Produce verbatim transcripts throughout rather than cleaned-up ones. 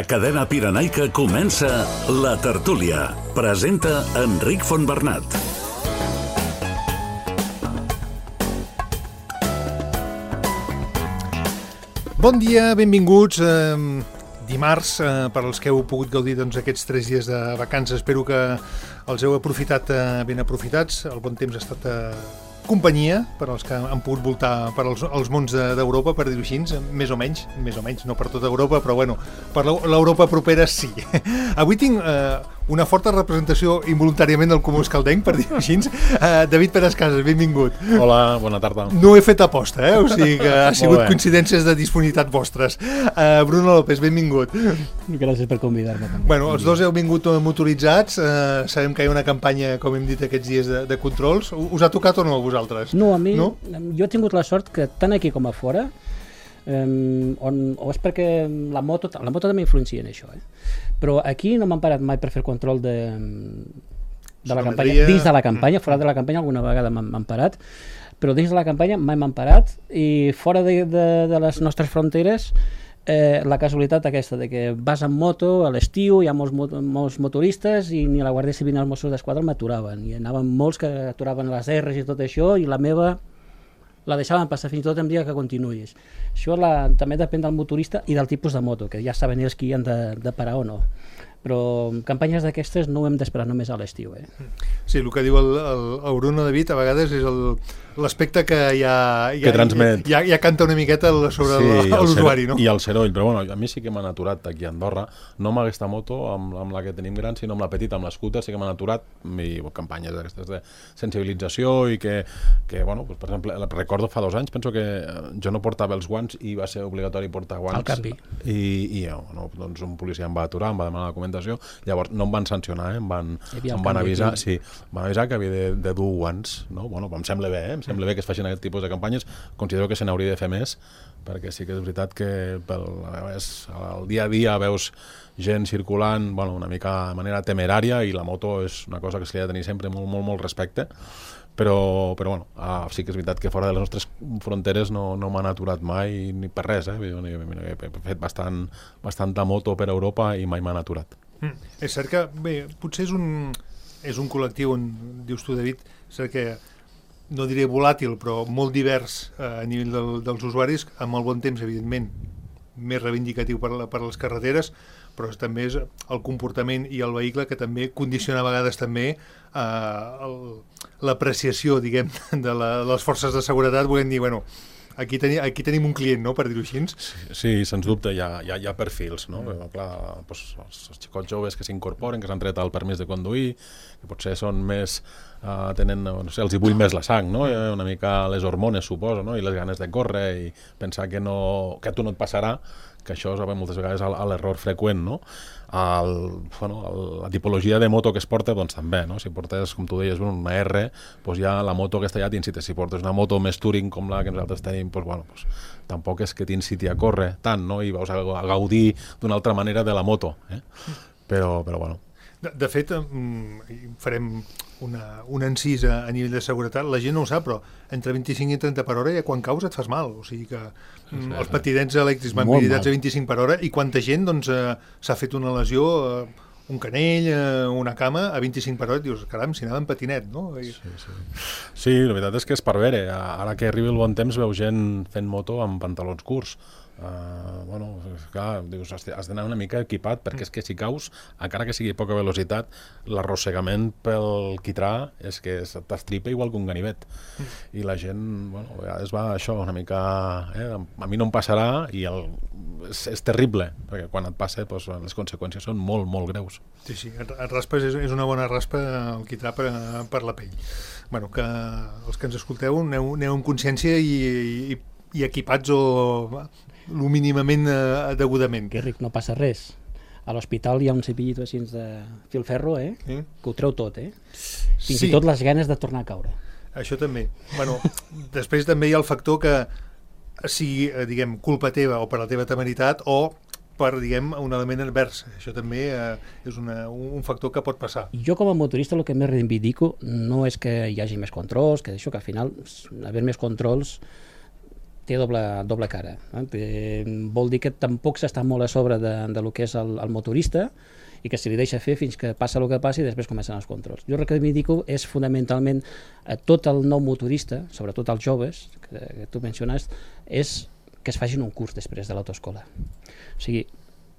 A Cadena Pirenaica comença La Tertúlia. Presenta Enric Fontbernat. Bon dia, benvinguts. Eh, dimarts, eh, per als que heu pogut gaudir doncs, aquests tres dies de vacances, espero que els heu aprofitat eh, ben aprofitats. El bon temps ha estat eh, companyia per als que han pogut voltar per als, als mons d'Europa, per dir-ho així, més o menys, més o menys, no per tota Europa, però bueno, per l'Europa propera sí. Avui tinc eh, una forta representació involuntàriament del Comú Escaldenc, per dir-ho així. Uh, David Pérez Casas, benvingut. Hola, bona tarda. No he fet aposta, eh? O sigui que ha sigut coincidències de disponibilitat vostres. Uh, Bruno López, benvingut. Gràcies per convidar-me. Bueno, els dos heu vingut motoritzats. Uh, sabem que hi ha una campanya, com hem dit, aquests dies de, de controls. Us ha tocat o no a vosaltres? No, a mi, no? Jo he tingut la sort que tant aquí com a fora, Um, on, o és perquè la moto, la moto també influencia en això, eh? Però aquí no m'han parat mai per fer control de, de la campanya, dins de la campanya, fora de la campanya alguna vegada m'han parat, però dins de la campanya mai m'han parat, i fora de, de, de les nostres fronteres eh, la casualitat aquesta de que vas amb moto a l'estiu, hi ha molts, molts motoristes i ni la Guàrdia Civil ni els Mossos d'Esquadra m'aturaven, i anaven molts que aturaven les erres i tot això, i la meva la deixaven passar fins i tot en dia que continuïs. Això la, també depèn del motorista i del tipus de moto, que ja saben ells qui han de, de parar o no. Però campanyes d'aquestes no ho hem d'esperar només a l'estiu. Eh? Sí, el que diu el, el, el Bruno David a vegades és l'aspecte que ja, ja, que transmet. Ja, ja canta una miqueta sobre sí, l'usuari, no? I el seroll, però bueno, a mi sí que m'han aturat aquí a Andorra, no amb aquesta moto, amb, amb la que tenim gran, sinó amb la petita, amb l'escúter, sí que m'han aturat, i campanyes d'aquestes de sensibilització i que, que bueno, pues, per exemple, recordo fa dos anys, penso que jo no portava els guants i va ser obligatori portar guants. Al canvi. I, i bueno, doncs un policia em va aturar, em va demanar la documentació, llavors no em van sancionar, eh? em van, em van avisar, sí, em van avisar que havia de, de dur guants, no? Bueno, em sembla bé, eh? Em sembla bé que es facin aquest tipus de campanyes, considero que se n'hauria de fer més, perquè sí que és veritat que pel, el dia a dia veus gent circulant, bueno, una mica de manera temerària, i la moto és una cosa que se li ha de tenir sempre molt, molt, molt respecte, però, però bueno, ah, sí que és veritat que fora de les nostres fronteres no, no m'han aturat mai ni per res, eh? He fet bastant, bastanta moto per Europa i mai m'han aturat. Mm. És cert que, bé, potser és un, és un col·lectiu on, dius tu, David, és cert que no diré volàtil, però molt divers eh, a nivell del, dels usuaris, amb el bon temps, evidentment, més reivindicatiu per, la, per les carreteres, però també és el comportament i el vehicle que també condiciona a vegades també eh, l'apreciació, diguem, de, la, de les forces de seguretat, volem dir, bueno, aquí, teni, aquí tenim un client, no?, per dir-ho així. Sí, sí, sens dubte, hi ha, hi ha, hi ha perfils, no? Mm. Però, clar, doncs, els, els xicots joves que s'incorporen, que s'han tret el permís de conduir, que potser són més... Uh, tenen, no sé, els hi bull més la sang, no? Una mica les hormones, suposo, no? I les ganes de córrer i pensar que, no, que a tu no et passarà, que això és moltes vegades l'error freqüent, no? El, bueno, el, la tipologia de moto que es porta, doncs també, no? Si portes, com tu deies, una R, doncs ja la moto aquesta ja t'incita. Si portes una moto més touring com la que nosaltres tenim, doncs, bueno, doncs, tampoc és que t'inciti a córrer tant, no? I vas a, a gaudir d'una altra manera de la moto, eh? Però, però bueno. De, de fet, farem una, un encís a, a nivell de seguretat. La gent no ho sap, però entre vint-i-cinc i trenta per hora ja quan caus et fas mal. O sigui que sí, sí, els patinets elèctrics van habilitats a vint-i-cinc per hora, i quanta gent doncs, eh, s'ha fet una lesió, eh, un canell, eh, una cama a vint-i-cinc per hora, i dius, caram, si anava en patinet, no? I... Sí, sí. Sí, la veritat és que és per veure. Ara que arribi el bon temps veu gent fent moto amb pantalons curts. Uh, bueno, clar, dius, has d'anar una mica equipat, perquè és que si caus, encara que sigui poca velocitat, l'arrossegament pel quitrà és que t'estripa igual que un ganivet. I la gent, bueno, a vegades va això una mica, eh, a mi no em passarà, i el, és, és terrible, perquè quan et passa, doncs, les conseqüències són molt, molt greus. Sí, sí, et raspes, és, és una bona raspa el quitrà per, per la pell. Bueno, que els que ens escolteu aneu, aneu amb consciència i, i, i equipats o... lo mínimament eh, degudament. Que ric, no passa res. A l'hospital hi ha un cepillito així de filferro, eh? Sí. Que ho treu tot, eh? Fins sí. I tot les ganes de tornar a caure. Això també. Bueno, després també hi ha el factor que sigui, diguem, culpa teva o per la teva temeritat o per, diguem, un element advers. Això també eh, és una, un factor que pot passar. Jo com a motorista el que més reivindico no és que hi hagi més controls, que això que al final haver més controls té doble, doble cara. Eh? Té, vol dir que tampoc s'està molt a sobre de, de lo que és el, el motorista i que se li deixa fer fins que passa el que passi i després comencen els controls. Jo el que reivindico és fonamentalment a tot el nou motorista, sobretot als joves, que, que tu menciones, és que es facin un curs després de l'autoescola. O sigui,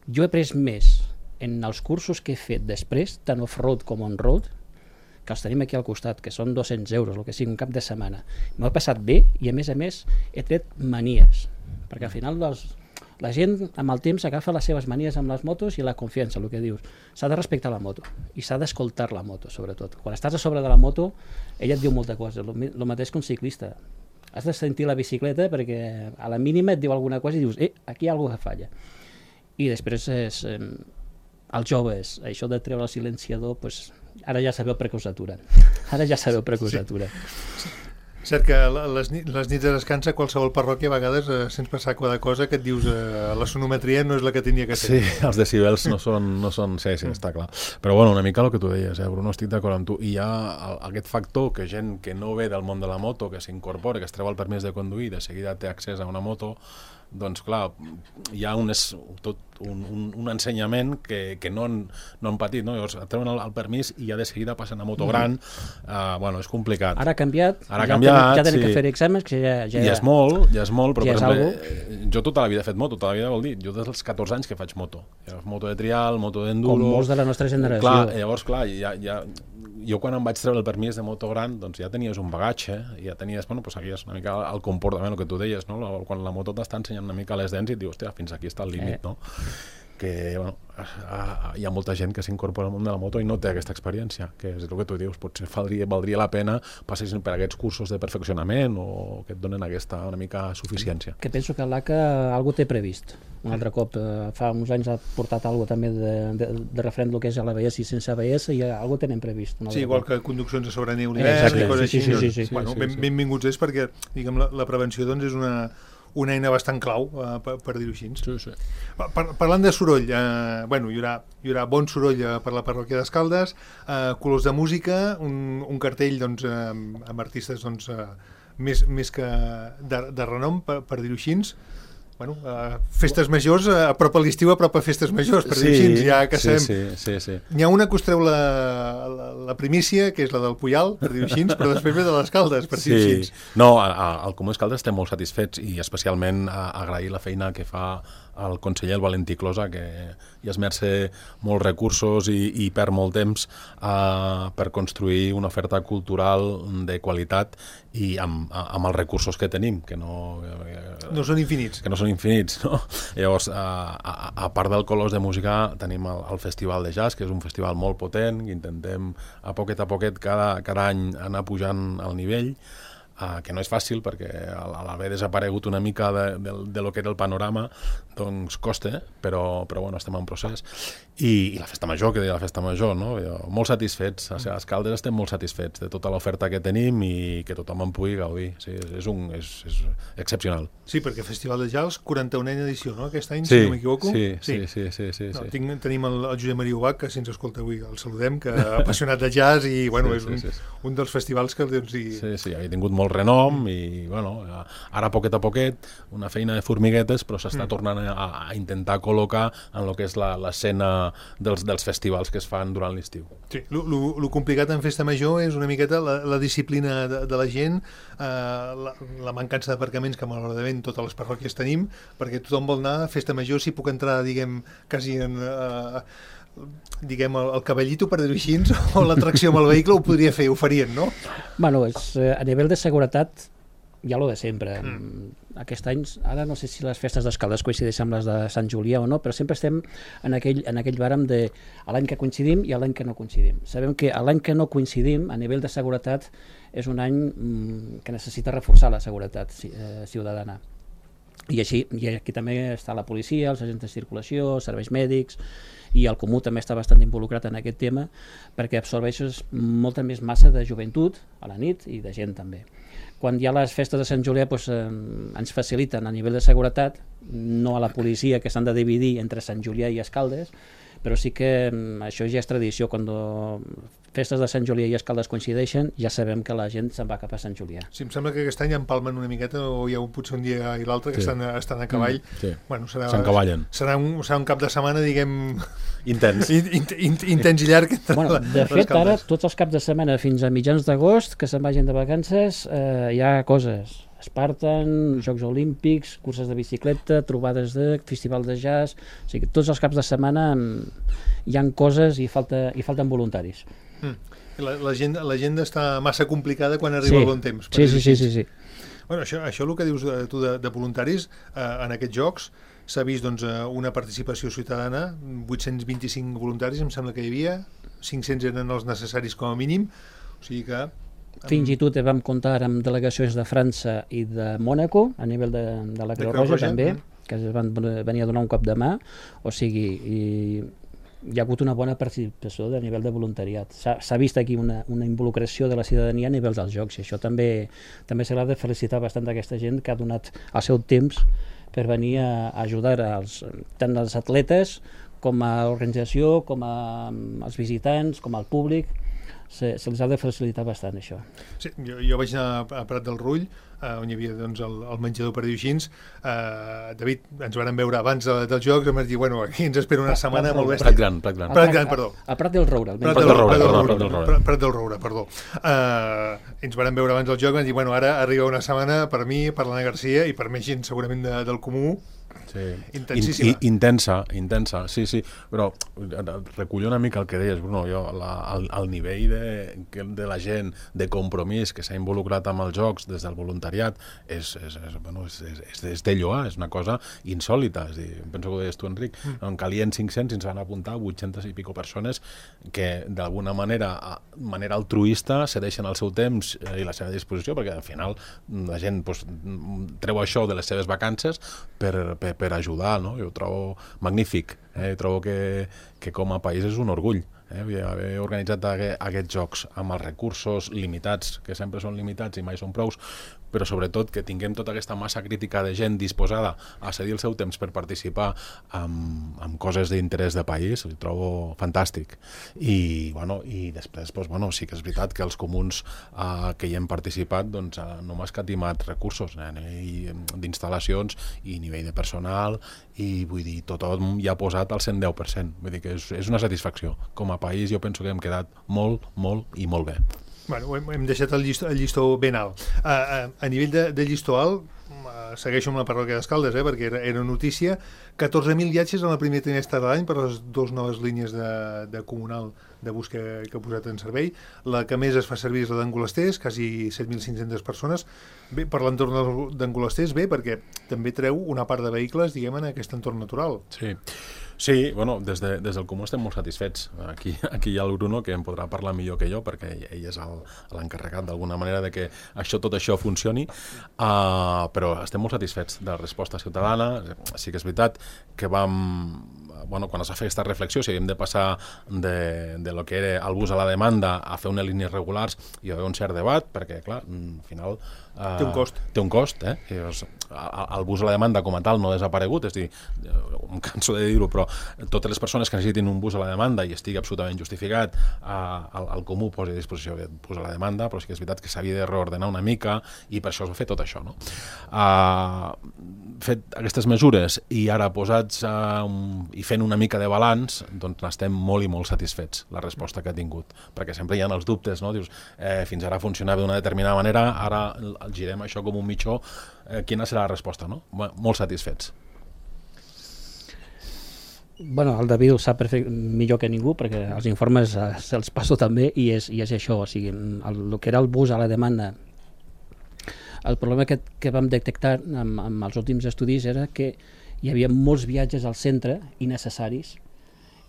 jo he après més en els cursos que he fet després, tant off-road com on-road, que els tenim aquí al costat, que són dos-cents euros, el que sigui, un cap de setmana. M'ho he passat bé i, a més a més, he tret manies, perquè al final dels, la gent amb el temps agafa les seves manies amb les motos i la confiança, el que dius. S'ha de respectar la moto i s'ha d'escoltar la moto, sobretot. Quan estàs a sobre de la moto, ella et diu molta cosa, el mateix que un ciclista. Has de sentir la bicicleta perquè a la mínima et diu alguna cosa i dius, eh, aquí hi ha alguna que falla. I després és, eh, els joves, això de treure el silenciador, pues, ara ja sabeu per què us aturen. Ara ja sabeu per què us aturen. Sí. Cert que les, les nits de descansa qualsevol parròquia a vegades eh, sents passar cada cosa que et dius eh, la sonometria no és la que tenia que ser. Sí, els decibels no són... No són sí, sí, està clar. Però bueno, una mica el que tu deies, eh, Bruno, estic d'acord amb tu. I hi ha el, aquest factor que gent que no ve del món de la moto, que s'incorpora, que es treu el permís de conduir, de seguida té accés a una moto, doncs clar, hi ha un, tot un, un, un ensenyament que, que no, han, no han patit, no? Llavors treuen el, el permís i ja de seguida passen a moto gran, uh, bueno, és complicat. Ara ha canviat, Ara ha ja canviat, tenen, ja tenen sí. que fer exàmens, que ja, ja, ja és molt, ja és molt, però ja per exemple, jo tota la vida he fet moto, tota la vida vol dir, jo des dels catorze anys que faig moto, moto de trial, moto d'enduro... Com molts de la nostra generació. Clar, llavors, clar, ja, ja, jo quan em vaig treure el permís de moto gran, doncs ja tenies un bagatge, ja tenies, bueno, pues seguies una mica el comportament, el que tu deies, no? Quan la moto t'està ensenyant una mica les dents i et dius, hòstia, fins aquí està el límit, eh. no? Que, bueno, hi ha molta gent que s'incorpora al món de la moto i no té aquesta experiència, que és el que tu dius, potser valdria, valdria la pena passar per aquests cursos de perfeccionament o que et donen aquesta una mica suficiència. Que penso que l'A C A algú té previst. Un altre cop, eh, fa uns anys ha portat alguna també de, de, de referent el que és a l'A B S i sense A B S i algú tenen previst. Sí, igual cop. Que conduccions a sobre neu l'hivern i coses sí, així. Sí, sí, sí, sí, bueno, sí, ben, sí. benvinguts és perquè diguem, la, la prevenció doncs, és una una eina bastant clau, eh, per, per dir-ho així. Sí, sí. Par parlant de soroll, eh, bueno, hi haurà, hi haurà bon soroll eh, per la parròquia d'Escaldes, eh, colors de música, un, un cartell doncs, eh, amb artistes doncs, eh, més, més que de, de renom, per, per dir-ho així. Bueno, uh, festes majors, uh, a prop a l'estiu, a prop a festes majors, per sí, dir així, ja que sí, sabem. Sí, sí, sí. N'hi ha una que us treu la, la, la primícia, que és la del Puyal, per dir així, però després ve de les Caldes, per dir així. Sí. No, al Comú Escaldes estem molt satisfets i especialment a, a agrair la feina que fa el conseller el Valentí Closa, que hi esmerça molts recursos i, i perd molt temps uh, per construir una oferta cultural de qualitat i amb, amb els recursos que tenim, que no... Eh, no són infinits. Que no són infinits, no? Llavors, uh, a, a part del Colors de Música, tenim el, el Festival de Jazz, que és un festival molt potent, que intentem a poquet a poquet cada, cada any anar pujant al nivell, Uh, que no és fàcil perquè a l'haver desaparegut una mica de, de, de lo que era el panorama doncs costa, però, però bueno, estem en procés. I, i la festa major, que deia la festa major, no? Jo, molt satisfets, a Escaldes estem molt satisfets de tota l'oferta que tenim i que tothom en pugui gaudir. Sí, és, un, és, és excepcional. Sí, perquè Festival de Jazz, quaranta-unena edició, no? Aquest any, sí, si no m'equivoco. Sí, sí, sí. sí, sí, no, sí. tinc, tenim el, el Josep Maria Ubach, que si ens escolta avui el saludem, que apassionat de jazz i bueno, sí, és un, sí, sí. un dels festivals que... Doncs, i... Sí, sí, havia tingut molt renom i bueno, ara poquet a poquet una feina de formiguetes però s'està mm. tornant a, a intentar col·locar en el que és l'escena dels, dels festivals que es fan durant l'estiu. Sí, el complicat en festa major és una miqueta la, la disciplina de, de la gent, eh, la, la mancança d'aparcaments que malauradament totes les parròquies tenim, perquè tothom vol anar a festa major, si puc entrar, diguem, quasi en... Eh, diguem, el, el cavallito, per dir-ho així, o l'atracció amb el vehicle, ho podria fer, ho farien, no? Bueno, és, a nivell de seguretat hi ha lo de sempre. Mm. Aquest any, ara no sé si les festes d'Escaldes coincideixen amb les de Sant Julià o no, però sempre estem en aquell, en aquell barem de l'any que coincidim i l'any que no coincidim. Sabem que l'any que no coincidim, a nivell de seguretat, és un any mm, que necessita reforçar la seguretat eh, ciutadana. I així, i aquí també està la policia, els agents de circulació, els serveis mèdics, i el Comú també està bastant involucrat en aquest tema perquè absorbeixes molta més massa de joventut a la nit i de gent també. Quan hi ha les festes de Sant Julià doncs, eh, ens faciliten a nivell de seguretat, no a la policia que s'han de dividir entre Sant Julià i Escaldes, però sí que això ja és tradició, quan festes de Sant Julià i Escaldes coincideixen, ja sabem que la gent se'n va cap a Sant Julià. Sí, em sembla que aquest any empalmen una miqueta, o hi ha un, potser un dia i l'altre que Sí. estan, estan a cavall. Mm, sí. Bueno, serà, S'encavallen. serà, un, serà un cap de setmana, diguem, Intens. in- in- in- intens i llarg. entre Bueno, la- de les fet, ara, caldes. tots els caps de setmana fins a mitjans d'agost, que se'n vagin de vacances, eh, hi ha coses. Spartan, Jocs Olímpics, curses de bicicleta, trobades de festival de jazz... O sigui, tots els caps de setmana mm, hi han coses i, falta, i falten voluntaris. Mm. La- L'agenda l'agenda està massa complicada quan arriba Sí. el bon temps. per Sí, dir-ho sí, sí, així. sí, sí. Bueno, això, això el que dius de, tu de, de voluntaris, eh, en aquests jocs s'ha vist doncs, eh, una participació ciutadana, vuit-cents vint-i-cinc voluntaris, em sembla que hi havia, cinc-cents eren els necessaris com a mínim, o sigui que... Fins i tot vam comptar amb delegacions de França i de Mònaco, a nivell de, de la De Creu Creu Roja Roja, també, mm. que es van venir a donar un cop de mà, o sigui, i hi ha hagut una bona participació a nivell de voluntariat. S'ha vist aquí una, una involucració de la ciutadania a nivell dels jocs, i això també també s'ha de felicitar bastant aquesta gent que ha donat el seu temps per venir a, a ajudar als, tant als atletes com a l'organització, com a, als visitants, com al públic. Se, se les ha de facilitar bastant, això. Sí, jo, jo vaig anar a Prat del Rull, eh, on hi havia doncs, el, el menjador, per dir-ho així. Eh, David, ens vàrem veure abans de, dels jocs, em vas dir, bueno, aquí ens espera una setmana molt Prat bèstia. Gran, Prat Gran. Prat Gran, perdó. A, a Prat del Roure. Prat del Roure, Prat del perdó, Roure, Prat del Roure. Prat- Prat del Roure, perdó. Eh, ens vàrem veure abans del joc, vam dir, bueno, ara arriba una setmana per mi, per l'Anna Garcia i per més gent segurament de, del comú, Sí. intensíssima. In, i, intensa, intensa, sí, sí, però recullo una mica el que deies, Bruno, jo, la, el, el nivell de, de la gent, de compromís que s'ha involucrat amb els jocs des del voluntariat és, és, és, bueno, és, és, és de lloar, és una cosa insòlita, és a dir, penso que ho deies tu, Enric, mm. en calien cinc-cents i ens van apuntar vuit-centes i pico persones que d'alguna manera, a manera altruista, cedeixen el seu temps i la seva disposició, perquè al final la gent pues, treu això de les seves vacances per, per, per ajudar, no? Jo ho trobo magnífic, eh? Trobo que, que com a país és un orgull, eh? Haver organitzat aqu aquests jocs amb els recursos limitats, que sempre són limitats i mai són prous, però sobretot que tinguem tota aquesta massa crítica de gent disposada a cedir el seu temps per participar en, en coses d'interès de país, ho trobo fantàstic. I, bueno, i després, doncs, bueno, sí que és veritat que els comuns eh, que hi hem participat doncs, eh, no m'ha escatimat recursos eh, d'instal·lacions i nivell de personal, i vull dir, tothom hi ha posat el cent deu per cent. Vull dir que és, és una satisfacció. Com a país jo penso que hem quedat molt, molt i molt bé. Bueno, hem, hem deixat el llistó, el llistó ben alt. A, a, a nivell de, de llistó alt, uh, segueixo amb la parròquia d'Escaldes, eh, perquè era, era notícia, catorze mil viatges en el primer trimestre de l'any per les dues noves línies de, de comunal de bus que, que ha posat en servei. La que més es fa servir és la d'Angolesters, quasi set mil cinc-centes persones. Bé, per l'entorn d'Angolesters, bé, perquè també treu una part de vehicles, diguem, en aquest entorn natural. Sí. Sí, bueno, des, de, des del Comú estem molt satisfets. Aquí, aquí hi ha el Bruno, que em podrà parlar millor que jo, perquè ell és l'encarregat d'alguna manera de que això, tot això funcioni, uh, però estem molt satisfets de la resposta ciutadana. Sí que és veritat que vam... Bueno, quan es va fer aquesta reflexió, si havíem de passar de, de lo que era el bus a la demanda a fer unes línies regulars, hi havia un cert debat, perquè, clar, al final... Uh, té un cost. Té un cost, eh? I, doncs, el bus a la demanda com a tal no ha desaparegut, és a dir, em canso de dir-ho, però totes les persones que necessitin un bus a la demanda i estigui absolutament justificat, eh, el, el comú posa a disposició aquest bus a la demanda, però sí que és veritat que s'havia de reordenar una mica i per això es va fer tot això, no? Uh, fet aquestes mesures i ara posats uh, um, i fent una mica de balanç, doncs n'estem molt i molt satisfets la resposta que ha tingut, perquè sempre hi ha els dubtes, no? Dius, eh, fins ara funcionava d'una determinada manera, ara el girem això com un mitjó, eh, quina serà la resposta, no? Molt satisfets. Bueno, el David ho sap perfect, millor que ningú, perquè els informes eh, se'ls passo també, i és, i és això, o sigui, el, el que era el bus a la demanda, el problema que, que vam detectar amb, amb els últims estudis era que hi havia molts viatges al centre innecessaris,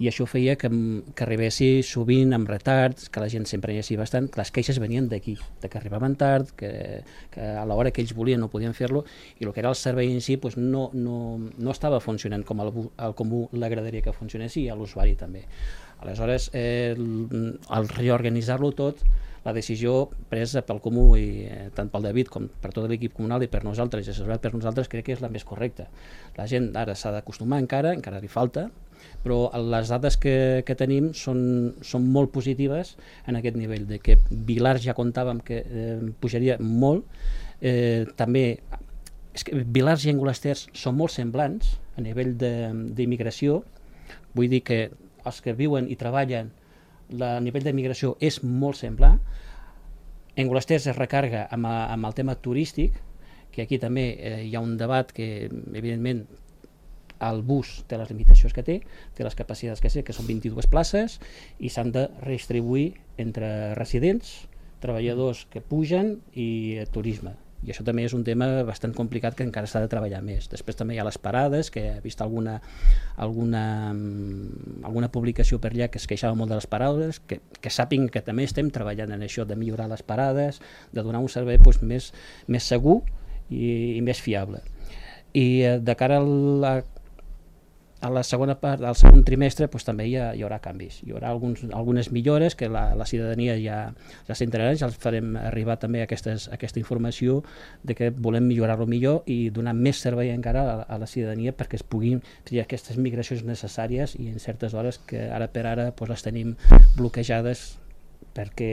i això feia que, que arribessi sovint amb retards, que la gent sempre hi hagi bastant, que les queixes venien d'aquí, de que arribaven tard, que, que a l'hora que ells volien no podien fer-lo, i el que era el servei en si pues, no, no, no estava funcionant com el, el comú l'agradaria que funcionés, i a l'usuari també. Aleshores, eh, el, el reorganitzar-lo tot, la decisió presa pel comú, i eh, tant pel David com per tot l'equip comunal i per nosaltres, i assessorat per nosaltres, crec que és la més correcta. La gent ara s'ha d'acostumar encara, encara li falta, però les dades que, que tenim són, són molt positives en aquest nivell, de que Vilars ja comptàvem que eh, pujaria molt, eh, també és que Vilars i Angolesters són molt semblants a nivell d'immigració, vull dir que els que viuen i treballen, a nivell d'immigració és molt semblant. Angolesters es recarga amb, amb el tema turístic, que aquí també eh, hi ha un debat que, evidentment, el bus té les limitacions que té, té les capacitats que té, que són vint-i-dues places, i s'han de redistribuir entre residents, treballadors que pugen i eh, turisme. I això també és un tema bastant complicat que encara s'ha de treballar més. Després també hi ha les parades, que he vist alguna, alguna, alguna publicació per allà que es queixava molt de les parades, que, que sàpiguen que també estem treballant en això, de millorar les parades, de donar un servei doncs, més, més segur i, i més fiable. I eh, de cara a la, a la segona part, al segon trimestre, doncs, també hi, ha, hi haurà canvis. Hi haurà alguns, algunes millores que la, la ciutadania ja, ja s'entrarà, ja els farem arribar també aquestes, aquesta informació de que volem millorar-lo millor i donar més servei encara a, a la ciutadania perquè es puguin fer aquestes migracions necessàries i en certes hores que ara per ara doncs, les tenim bloquejades perquè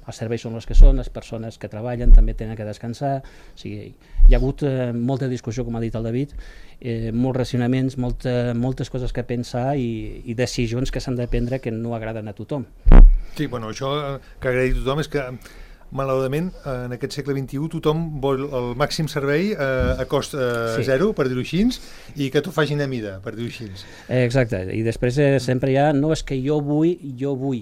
els serveis són els que són, les persones que treballen també tenen que descansar, o sigui, hi ha hagut eh, molta discussió, com ha dit el David, eh, molts racionaments, molta, moltes coses que pensar i, i decisions que s'han de prendre que no agraden a tothom. Sí, bueno, això que agradi a tothom és que malauradament en aquest segle vint-i-u tothom vol el màxim servei eh, a cost eh, sí. zero, per dir-ho així, i que t'ho facin a mida, per dir-ho així. Exacte, i després eh, sempre hi ha, no és que jo vull, jo vull,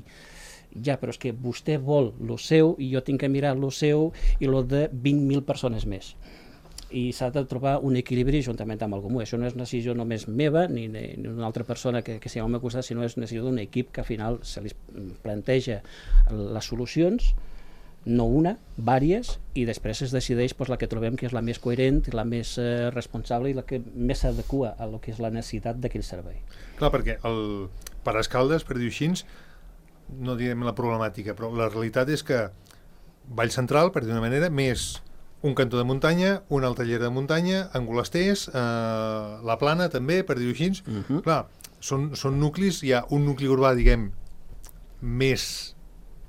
ja, però és que vostè vol lo seu i jo tinc que mirar lo seu i lo de vint mil persones més. I s'ha de trobar un equilibri juntament amb el comú. Això no és una decisió només meva ni d'una altra persona que, que sigui al meu costat, sinó és una decisió d'un equip que al final se li planteja les solucions, no una, vàries, i després es decideix doncs, la que trobem que és la més coherent, la més eh, responsable i la que més s'adequa a lo que és la necessitat d'aquell servei. Clar, perquè el Parascaldes, per dir-ho així, no direm la problemàtica, però la realitat és que Vall Central, per dir d'una manera, més un cantó de muntanya, una altra llera de muntanya, Angolesters, eh, la Plana també, per dir-ho així. Uh-huh. Clar, són, són nuclis, hi ha un nucli urbà, diguem, més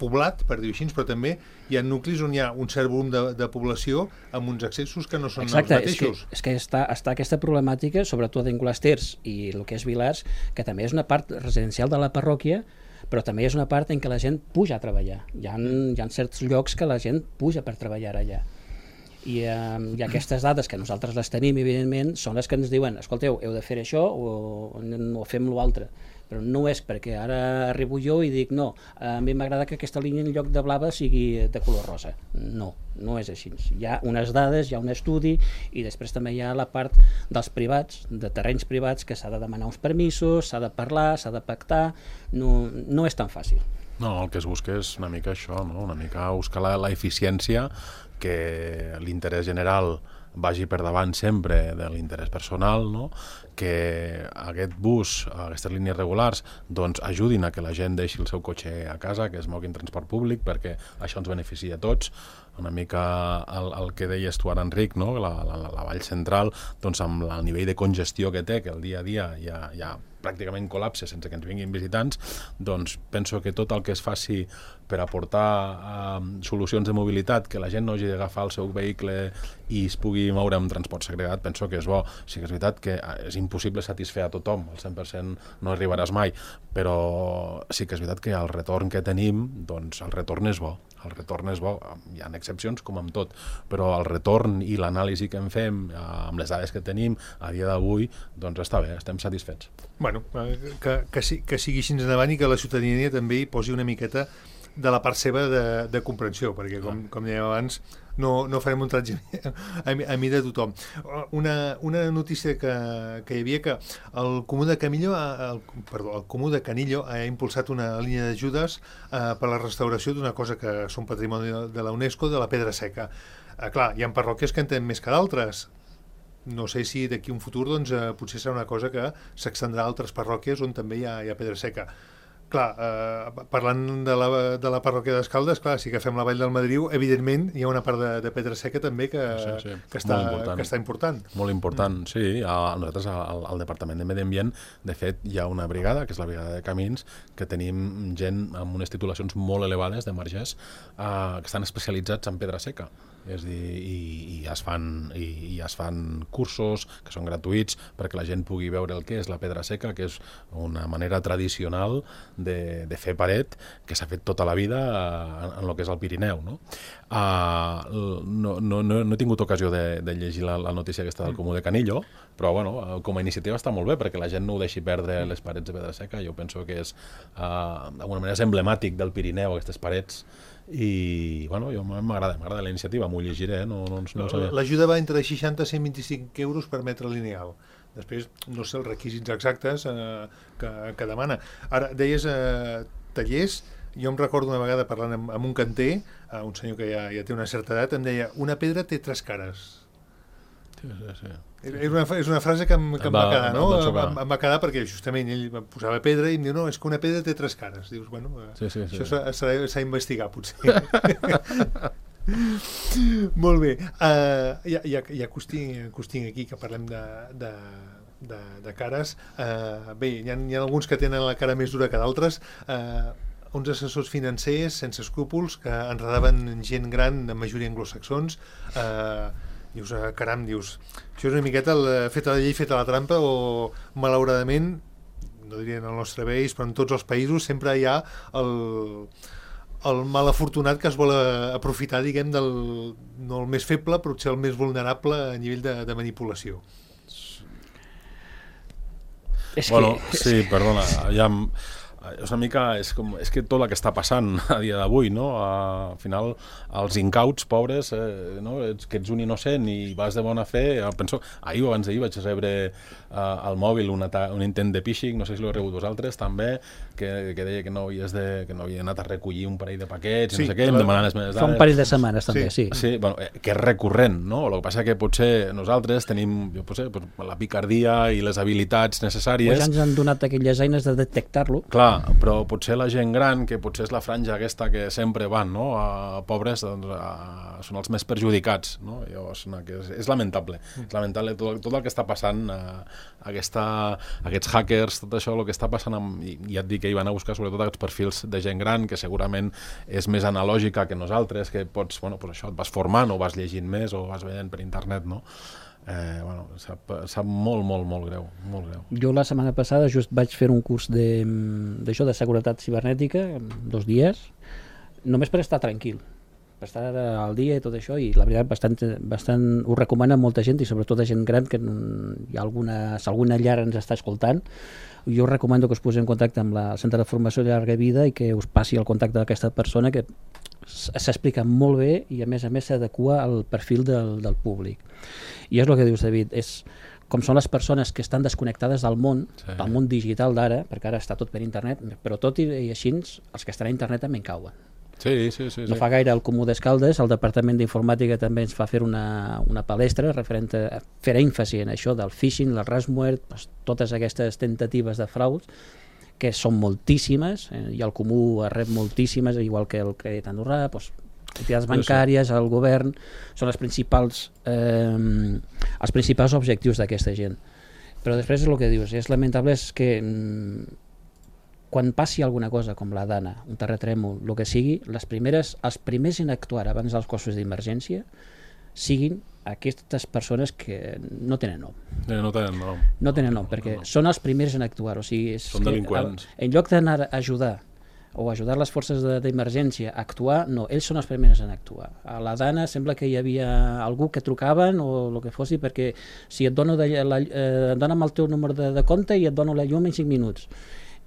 poblat, per dir-ho així, però també hi ha nuclis on hi ha un cert volum de, de població amb uns accessos que no són Exacte, els mateixos. És que, és que està, està aquesta problemàtica, sobretot d'Angolesters i el que és Vilars, que també és una part residencial de la parròquia, però també és una part en què la gent puja a treballar. Hi ha, hi ha certs llocs que la gent puja per treballar allà. I, eh, i aquestes dades que nosaltres les tenim, evidentment, són les que ens diuen, escolteu, heu de fer això o, o fem l'altre. Però no és perquè ara arribo jo i dic no, a mi m'agrada que aquesta línia en lloc de blava sigui de color rosa. No, no és així. Hi ha unes dades, hi ha un estudi i després també hi ha la part dels privats, de terrenys privats, que s'ha de demanar uns permisos, s'ha de parlar, s'ha de pactar, no, no és tan fàcil. No, el que es busca és una mica això, no? Una mica buscar la, la eficiència, que l'interès general vagi per davant sempre de l'interès personal, no? Que aquest bus, aquestes línies regulars, doncs ajudin a que la gent deixi el seu cotxe a casa, que es mogui en transport públic, perquè això ens beneficia a tots. Una mica el, el que deies tu ara, Enric, no? la, la, la Vall Central, doncs amb el nivell de congestió que té, que el dia a dia ja, ja pràcticament col·lapse sense que ens vinguin visitants, doncs penso que tot el que es faci per aportar eh, solucions de mobilitat, que la gent no hagi d'agafar el seu vehicle i es pugui moure amb transport segregat, penso que és bo. Sí que és veritat que és impossible satisfer a tothom, el cent per cent no arribaràs mai, però sí que és veritat que el retorn que tenim, doncs el retorn és bo. El retorn és bo, hi ha excepcions com amb tot, però el retorn i l'anàlisi que en fem amb les dades que tenim a dia d'avui, doncs està bé, estem satisfets. Bueno, que, que, que sigui així endavant i que la ciutadania també hi posi una miqueta de la part seva de, de comprensió, perquè com, com dèiem abans no, no farem un tratge a, a mi de tothom. Una, una notícia que, que hi havia, que el Comú de Camillo, el, perdó, el Comú de Canillo ha impulsat una línia d'ajudes eh, per a la restauració d'una cosa que són patrimoni de la UNESCO, de la pedra seca. Eh, clar, hi ha parròquies que en tenen més que d'altres. No sé si d'aquí un futur doncs, eh, potser serà una cosa que s'extendrà a altres parròquies on també hi ha, hi ha pedra seca. Clar, eh, parlant de la, de la parròquia d'Escaldes, clar, si agafem la Vall del Madriu, evidentment hi ha una part de, de pedra seca també que, sí, sí. que, està, important. que està important. Molt important, mm. sí. A, nosaltres, al, al Departament de Medi Ambient, de fet, hi ha una brigada, que és la brigada de Camins, que tenim gent amb unes titulacions molt elevades de margès eh, que estan especialitzats en pedra seca. És dir, i, i, es fan, i, i es fan cursos que són gratuïts perquè la gent pugui veure el que és la pedra seca, que és una manera tradicional de, de fer paret que s'ha fet tota la vida en, en el que és el Pirineu, no? Uh, no, no, no, no he tingut ocasió de, de llegir la, la notícia aquesta del Comú de Canillo, però bueno, com a iniciativa està molt bé perquè la gent no ho deixi perdre les parets de pedra seca. Jo penso que és uh, d'alguna manera és emblemàtic del Pirineu, aquestes parets, i bueno, jo m'agrada m'agrada la iniciativa, m'ho llegiré, no, no, no sabia. L'ajuda va entre seixanta i cent vint-i-cinc euros per metre lineal. Després no sé els requisits exactes eh, que, que demana. Ara, deies eh, tallers, jo em recordo una vegada parlant amb, amb un canter, eh, un senyor que ja, ja té una certa edat, em deia, una pedra té tres cares. Sí, sí, sí. És una, és una frase que em, que em va, va quedar, no? Va em, em va quedar perquè justament ell posava pedra i em diu, no, és que una pedra té tres cares. Dius, bueno, sí, sí, sí. això s'ha d'investigar, potser. Molt bé. Uh, ja ja, ja que us tinc, que us tinc aquí, que parlem de, de, de, de cares, uh, bé, hi ha, hi ha alguns que tenen la cara més dura que d'altres. Uh, uns assessors financers sense escrúpols que enredaven gent gran de majoria anglosaxons. Uh, dius, uh, caram, dius, això és una miqueta el, feta la llei, feta la trampa, o malauradament, no diria en el nostre país, però en tots els països sempre hi ha el, el mal afortunat que es vol aprofitar, diguem, del, no el més feble, però potser el més vulnerable a nivell de, de manipulació. És bueno, que... sí, perdona, ja... És una mica, és, com, és que tot el que està passant a dia d'avui, no? Al final, els incauts, pobres, eh, no? Ets, que ets un innocent i vas de bona fe, penso, ahir o abans d'ahir vaig rebre eh, al mòbil un, un intent de phishing, no sé si l'heu rebut vosaltres, també, que, que deia que no, havies de, que no havia anat a recollir un parell de paquets, sí, no sé què, em demanant les meves dades. Fa un parell de setmanes, també, sí. Sí, sí bueno, eh, que és recurrent, no? El que passa que potser nosaltres tenim, jo potser, la picardia i les habilitats necessàries... Pues ja ens han donat aquelles eines de detectar-lo. Clar, però potser la gent gran, que potser és la franja aquesta que sempre van, no? A pobres, doncs, a, són els més perjudicats, no? Llavors, no, que és, és lamentable, mm. és lamentable tot, tot el que està passant, a, aquesta, aquests hackers, tot això, el que està passant, amb, i ja et dic que hi van a buscar sobretot aquests perfils de gent gran, que segurament és més analògica que nosaltres, que pots, bueno, pues això, et vas formant o vas llegint més o vas veient per internet, no? Eh, bueno, sap, sap molt, molt, molt greu, molt greu. Jo la setmana passada just vaig fer un curs de, d'això, de seguretat cibernètica, dos dies, només per estar tranquil, per estar al dia i tot això, i la veritat bastant, bastant ho recomana molta gent, i sobretot a gent gran, que hi ha alguna, si alguna llar ens està escoltant, jo us recomano que us poseu en contacte amb la, el Centre de Formació de Llarga Vida i que us passi el contacte d'aquesta persona, que s'explica molt bé i a més a més s'adequa al perfil del, del públic. I és el que dius, David, és com són les persones que estan desconnectades del món, sí. del món digital d'ara, perquè ara està tot per internet, però tot i, i així els que estan a internet també en cauen. Sí, sí, sí, no sí. fa gaire al Comú d'Escaldes, el Departament d'Informàtica també ens va fer una, una palestra referent a fer èmfasi en això del phishing, el ransomware, doncs, totes aquestes tentatives de frauds, que són moltíssimes, eh, i el Comú rep moltíssimes, igual que el Crèdit Andorrà, doncs, entitats bancàries, el govern, són els principals, eh, els principals objectius d'aquesta gent. Però després és el que dius, és lamentable és que mm, quan passi alguna cosa com la Dana, un terratrèmol, el que sigui, les primeres, els primers en actuar abans dels cossos d'emergència siguin aquestes persones que no tenen nom. Eh, no tenen nom. No tenen nom, perquè no, no. són els primers en actuar. O sigui, és són delinqüents. Que, en lloc d'anar a ajudar o ajudar les forces d'emergència a actuar, no, ells són els primers en actuar. A la Dana sembla que hi havia algú que trucaven o el que fossi, perquè si et dono de, la, eh, dona'm el teu número de, de compte i et dono la llum en cinc minuts.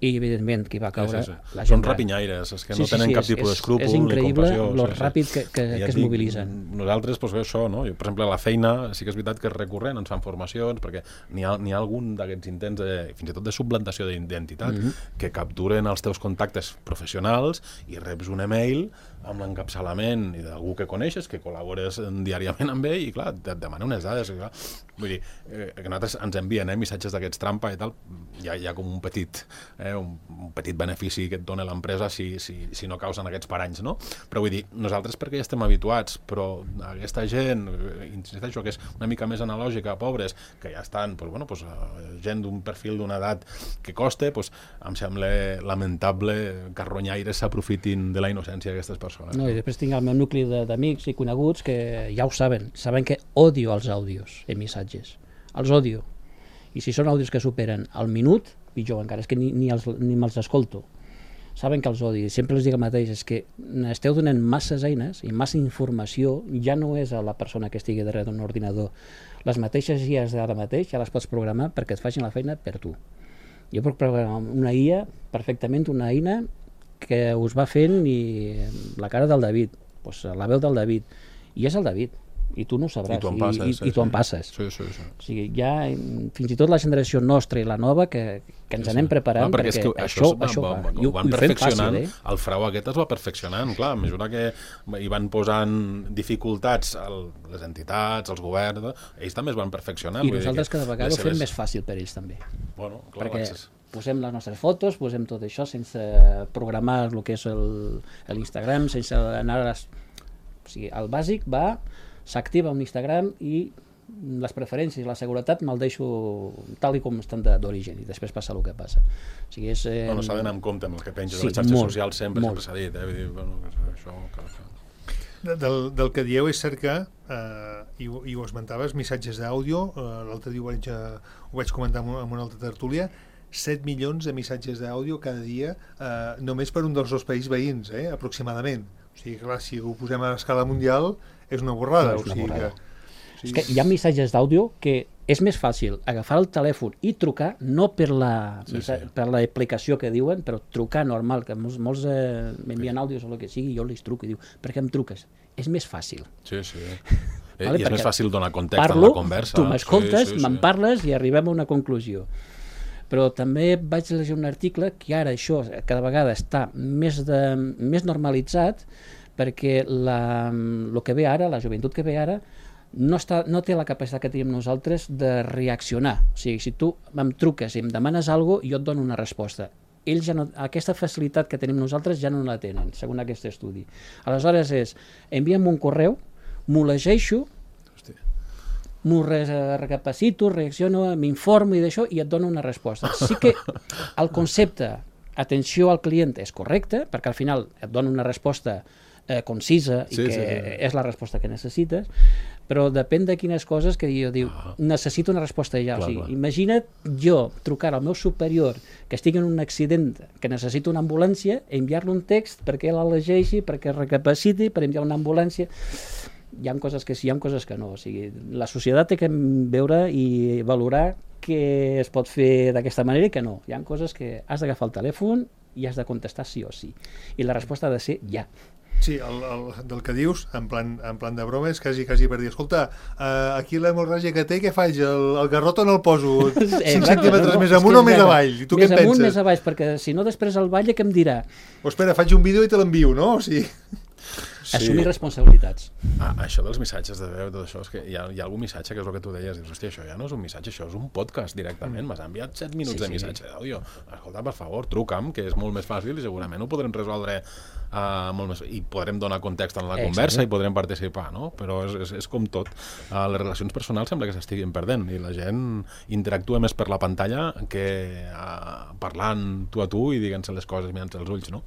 I evidentment qui va caure sí, sí, sí. la gent són rapinyaires, és que sí, no tenen sí, sí, cap tipus d'escrúpol és increïble ni compassió, lo sí, sí. ràpid que, que, ja que es dic, mobilitzen. Nosaltres, doncs, això, no? Jo, per exemple, a la feina sí que és veritat que és recurrent, ens fan formacions, perquè n'hi ha, n'hi ha algun d'aquests intents, de, fins i tot de suplantació d'identitat, mm-hmm. que capturen els teus contactes professionals i reps un email amb l'encapçalament d'algú que coneixes, que col·labores diàriament amb ell, i clar, et demana unes dades. Clar. Vull dir, eh, que nosaltres ens envien eh, missatges d'aquests trampa i tal, hi ha, hi ha com un petit eh, eh, un, un petit benefici que et dona l'empresa si, si, si no causen aquests paranys, no? Però vull dir, nosaltres perquè ja estem habituats, però aquesta gent, insisteixo, que és una mica més analògica, pobres, que ja estan, doncs, bueno, doncs, gent d'un perfil d'una edat que costa, doncs, em sembla lamentable que els ronyaires s'aprofitin de la innocència d'aquestes persones. No, i després tinc el meu nucli d'amics i coneguts que ja ho saben, saben que odio els àudios en missatges, els odio. I si són àudios que superen el minut, pitjor encara, és que ni, ni, els, ni me'ls escolto. Saben que els odi. Sempre els dic el mateix, és que esteu donant masses eines i massa informació, ja no és a la persona que estigui darrere d'un ordinador. Les mateixes I As d'ara mateix ja les pots programar perquè et facin la feina per tu. Jo puc programar una I A perfectament, una eina que us va fent i la cara del David, doncs la veu del David, i és el David. I tu no ho sabràs, i tu en passes, i, i, sí, i tu sí. en passes. Sí, sí, sí. O sigui, ja, fins i tot la generació nostra i la nova, que, que ens sí, anem preparant, clar, perquè, perquè que això, va, això va, va, va, i ho, van ho fem fàcil, eh? El frau aquest es va perfeccionant, clar, a mesura que hi van posant dificultats a les entitats, als governs, ells també es van perfeccionant. I nosaltres cada vegada ho fem seves... més fàcil per ells també. Bueno, clar, perquè és... posem les nostres fotos, posem tot això sense programar el que és l'Instagram, sense anar a les... O sigui, el bàsic va... s'activa un Instagram i les preferències i la seguretat me'l deixo tal i com estan d'origen i després passa el que passa. O sigui, és... Eh... Bueno, s'ha d'anar amb compte amb el que penges sí, a les xarxes molt, socials, sempre molt. sempre s'ha dit, eh? Vull dir, bueno, això... Que... Del, del que dieu és cert que, eh, i, i ho esmentaves, missatges d'àudio, eh, l'altre dia ho vaig, eh, ho vaig comentar en una altra tertúlia, set milions de missatges d'àudio cada dia, eh, només per un dels dos països veïns, eh, aproximadament. O sigui, clar, si ho posem a escala mundial, és una borrada. No, és una o sigui borrada. que... Sí. És que hi ha missatges d'àudio que és més fàcil agafar el telèfon i trucar, no per la sí, sí. per l'aplicació que diuen, però trucar normal, que molts, molts eh, m'envien àudios o el que sigui, jo els truco i diu, per què em truques? És més fàcil. Sí, sí. Eh, Vale, I és perquè més fàcil donar context parlo, en la conversa. tu m'escoltes, sí, sí, me'n sí. parles i arribem a una conclusió. Però també vaig llegir un article que ara això cada vegada està més, de, més normalitzat perquè la, el que ve ara, la joventut que ve ara, no, està, no té la capacitat que tenim nosaltres de reaccionar. O sigui, si tu em truques i em demanes alguna cosa, jo et dono una resposta. Ells ja no, aquesta facilitat que tenim nosaltres ja no la tenen, segons aquest estudi. Aleshores és, envia'm un correu, m'ho llegeixo, m'ho recapacito, reacciono, m'informo i d'això i et dono una resposta. Sí que el concepte atenció al client és correcte, perquè al final et dona una resposta eh, concisa i sí, que sí, sí. és la resposta que necessites, però depèn de quines coses que jo diu, ah. necessito una resposta ja. Clar, O sigui, clar. imagina't jo trucar al meu superior que estigui en un accident, que necessito una ambulància, enviar-li un text perquè la llegeixi, perquè recapaciti, per enviar una ambulància. Hi ha coses que sí, hi ha coses que no. O sigui, la societat té que veure i valorar què es pot fer d'aquesta manera i que no. Hi ha coses que has d'agafar el telèfon i has de contestar sí o sí. I la resposta ha de ser ja. Sí, el, el, del que dius, en plan, en plan de broma, és quasi, quasi per dir, escolta, uh, aquí l'hemorràgia que té, què faig? El, el garrot on el poso? cinc centímetres no, més amunt o més avall? I tu més què amunt, penses? més avall, perquè si no després el batlle què em dirà? O espera, faig un vídeo i te l'envio, no? O sigui... Sí. Assumir responsabilitats. Ah, això dels missatges de veu, tot això, és que hi ha, hi ha algun missatge que és el que tu deies, dius, hòstia, això ja no és un missatge, això és un podcast directament, m'has enviat set minuts Sí, de sí. missatge d'àudio. Escolta, per favor, truca'm, que és molt més fàcil i segurament ho podrem resoldre uh, molt més, i podrem donar context en la Exacte. conversa i podrem participar, no? Però és, és, és com tot. Uh, les relacions personals sembla que s'estiguin perdent i la gent interactua més per la pantalla que uh, parlant tu a tu i diguent-se les coses mirant-se els ulls, no?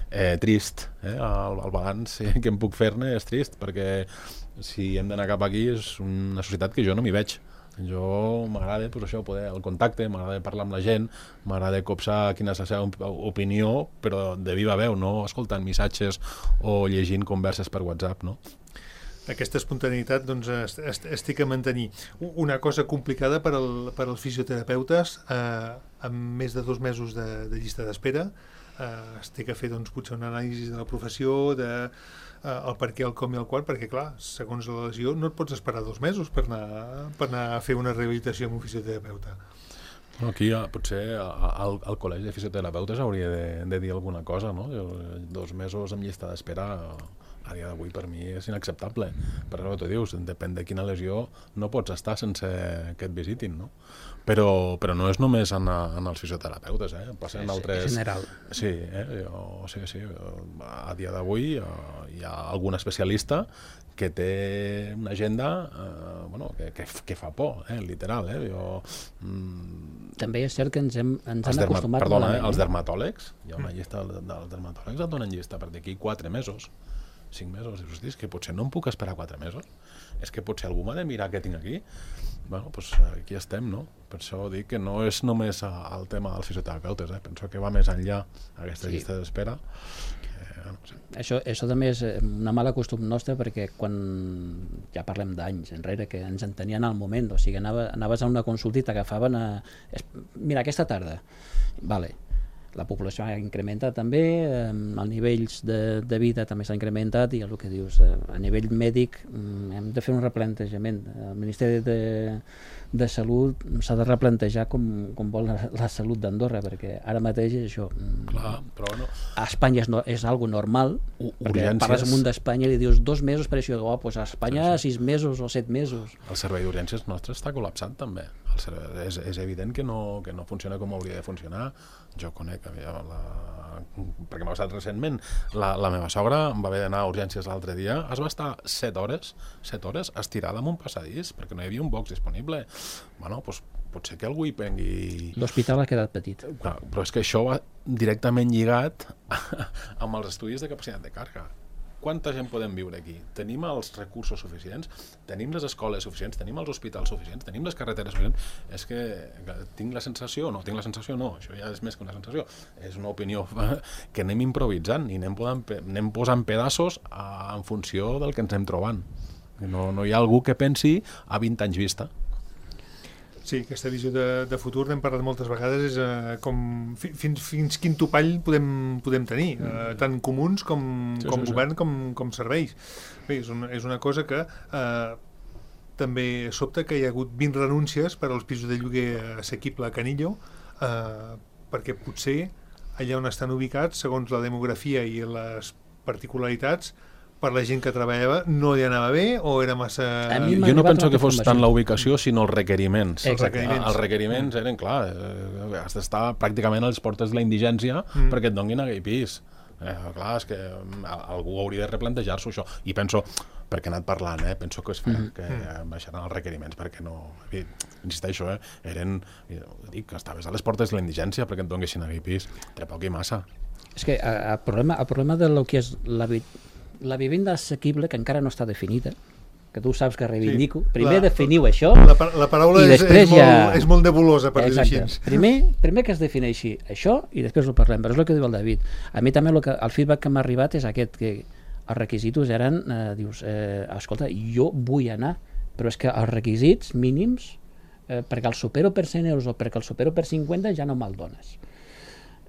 Eh, trist, eh? El, el balanç eh, que em puc fer-ne és trist, perquè si hem d'anar cap aquí és una societat que jo no m'hi veig. Jo m'agrada pues, això, poder el contacte, m'agrada parlar amb la gent, m'agrada copsar quina és la seva opinió, però de viva veu, no escoltant missatges o llegint converses per WhatsApp, no? Aquesta espontaneïtat doncs, est, est, estic a mantenir. Una cosa complicada per, al, per als fisioterapeutes, eh, amb més de dos mesos de, de llista d'espera, eh, es té que fer doncs, potser una anàlisi de la professió, de eh, el per què, el com i el quan, perquè clar, segons la lesió no et pots esperar dos mesos per anar, per anar a fer una rehabilitació amb un fisioterapeuta. Aquí potser al, al col·legi de fisioterapeutes hauria de, de dir alguna cosa, no? Dos mesos amb llista d'espera a dia d'avui per mi és inacceptable. Per això t'ho dius, depèn de quina lesió no pots estar sense que et visitin, no? Però, però no és només en, en els fisioterapeutes, eh? Passa en altres... És general. Sí, eh? jo, sí, sí. A dia d'avui hi ha algun especialista que té una agenda eh, bueno, que, que, que fa por, eh? Literal. Eh? Jo, mm, També és cert que ens hem, ens han derma, acostumat perdona, malament. eh? Els dermatòlegs, hi ha una llista dels dermatòlegs, et donen llista per d'aquí quatre mesos, cinc mesos, dius, hosti, és que potser no em puc esperar quatre mesos, és que potser algú m'ha de mirar què tinc aquí. Bueno, doncs aquí estem, no? Per això dic que no és només el tema dels fisioterapeutes, eh? Penso que va més enllà aquesta sí. llista d'espera. Que, no sé. Això, això també és una mala costum nostra, perquè quan ja parlem d'anys enrere que ens entenien al moment, o sigui, anava, anaves a una consulta i t'agafaven a... Mira, aquesta tarda, vale, la població ha incrementat també, eh, els nivells de, de vida també s'ha incrementat i el que dius, eh, a nivell mèdic mm, hem de fer un replantejament. El Ministeri de, de Salut s'ha de replantejar com, com vol la, la salut d'Andorra, perquè ara mateix és això. Mm, Clar, però no. A Espanya és, no, és algo normal, U perquè urgències... parles amunt d'Espanya i li dius dos mesos per això, oh, pues a Espanya sí, sí. sis mesos o set mesos. El servei d'urgències nostre està col·lapsat també. El servei, és, és evident que no, que no funciona com hauria de funcionar. Jo conec, la, perquè m'ha passat recentment, la, la meva sogra va haver d'anar a urgències l'altre dia, es va estar set hores, set hores estirada en un passadís perquè no hi havia un box disponible. Bueno, doncs potser que algú hi prengui... L'hospital ha quedat petit. Clar, però és que això va directament lligat amb els estudis de capacitat de càrrega. Quanta gent podem viure aquí? Tenim els recursos suficients? Tenim les escoles suficients? Tenim els hospitals suficients? Tenim les carreteres suficients? És que tinc la sensació, no, tinc la sensació no, això ja és més que una sensació, és una opinió que anem improvisant i anem posant, anem posant pedaços a, en funció del que ens anem trobant. No, no hi ha algú que pensi a vint anys vista. Sí, aquesta visió de, de futur, n'hem parlat moltes vegades, és eh, com fi, fins, fins quin topall podem, podem tenir, eh, tant comuns com, sí, com sí, govern sí. com, com serveis. Bé, és, una, és una cosa que eh, també sobta que hi ha hagut vint renúncies per als pisos de lloguer assequible a Canillo, eh, perquè potser allà on estan ubicats, segons la demografia i les particularitats, per la gent que treballava, no li anava bé o era massa... Jo no penso que fos tant la ubicació, sinó els requeriments. Els requeriments, els requeriments eren, clar, eh, has d'estar pràcticament a les portes de la indigència mm. perquè et donguin aquell pis. Eh, clar, és que algú hauria de replantejar-s'ho això. I penso, perquè he anat parlant, eh, penso que es farà, mm. que baixaran els requeriments, perquè no... Insisteixo, eh, eren... Dic, que estaves a les portes de la indigència perquè et donguessin aquell pis. Té poc i massa. És que el problema, el problema de lo que és la vida... La vivenda assequible, que encara no està definida, que tu saps que reivindico, sí, primer la, definiu això la, la paraula i és, és, ja... molt, és molt nebulosa per dir així. Primer, primer que es defineixi això i després ho parlem, però és el que diu el David. A mi també el, que, el feedback que m'ha arribat és aquest, que els requisits eren, eh, dius, eh, escolta, jo vull anar, però és que els requisits mínims, eh, perquè el supero per cent euros o perquè el supero per cinquanta ja no me'l dones.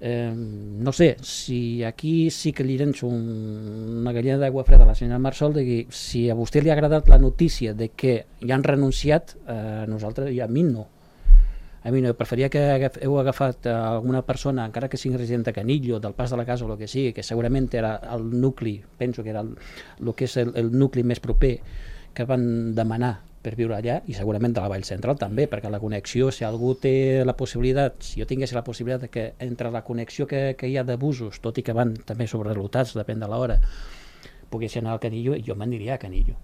Eh, no sé, si aquí sí que li llenço un, una gallina d'aigua freda a la senyora Marsol, de que si a vostè li ha agradat la notícia de que ja han renunciat, a eh, nosaltres, i a mi no. A mi no, preferia que heu agafat alguna persona, encara que sigui resident de Canillo, del Pas de la Casa o el que sigui, que segurament era el nucli, penso que era el, el que és el, el nucli més proper que van demanar per viure allà, i segurament de la Vall Central també, perquè la connexió, si algú té la possibilitat, si jo tingués la possibilitat de que entre la connexió que, que hi ha de busos, tot i que van també sobrelotats, depèn de l'hora, pogués anar al Canillo, i jo m'aniria a Canillo.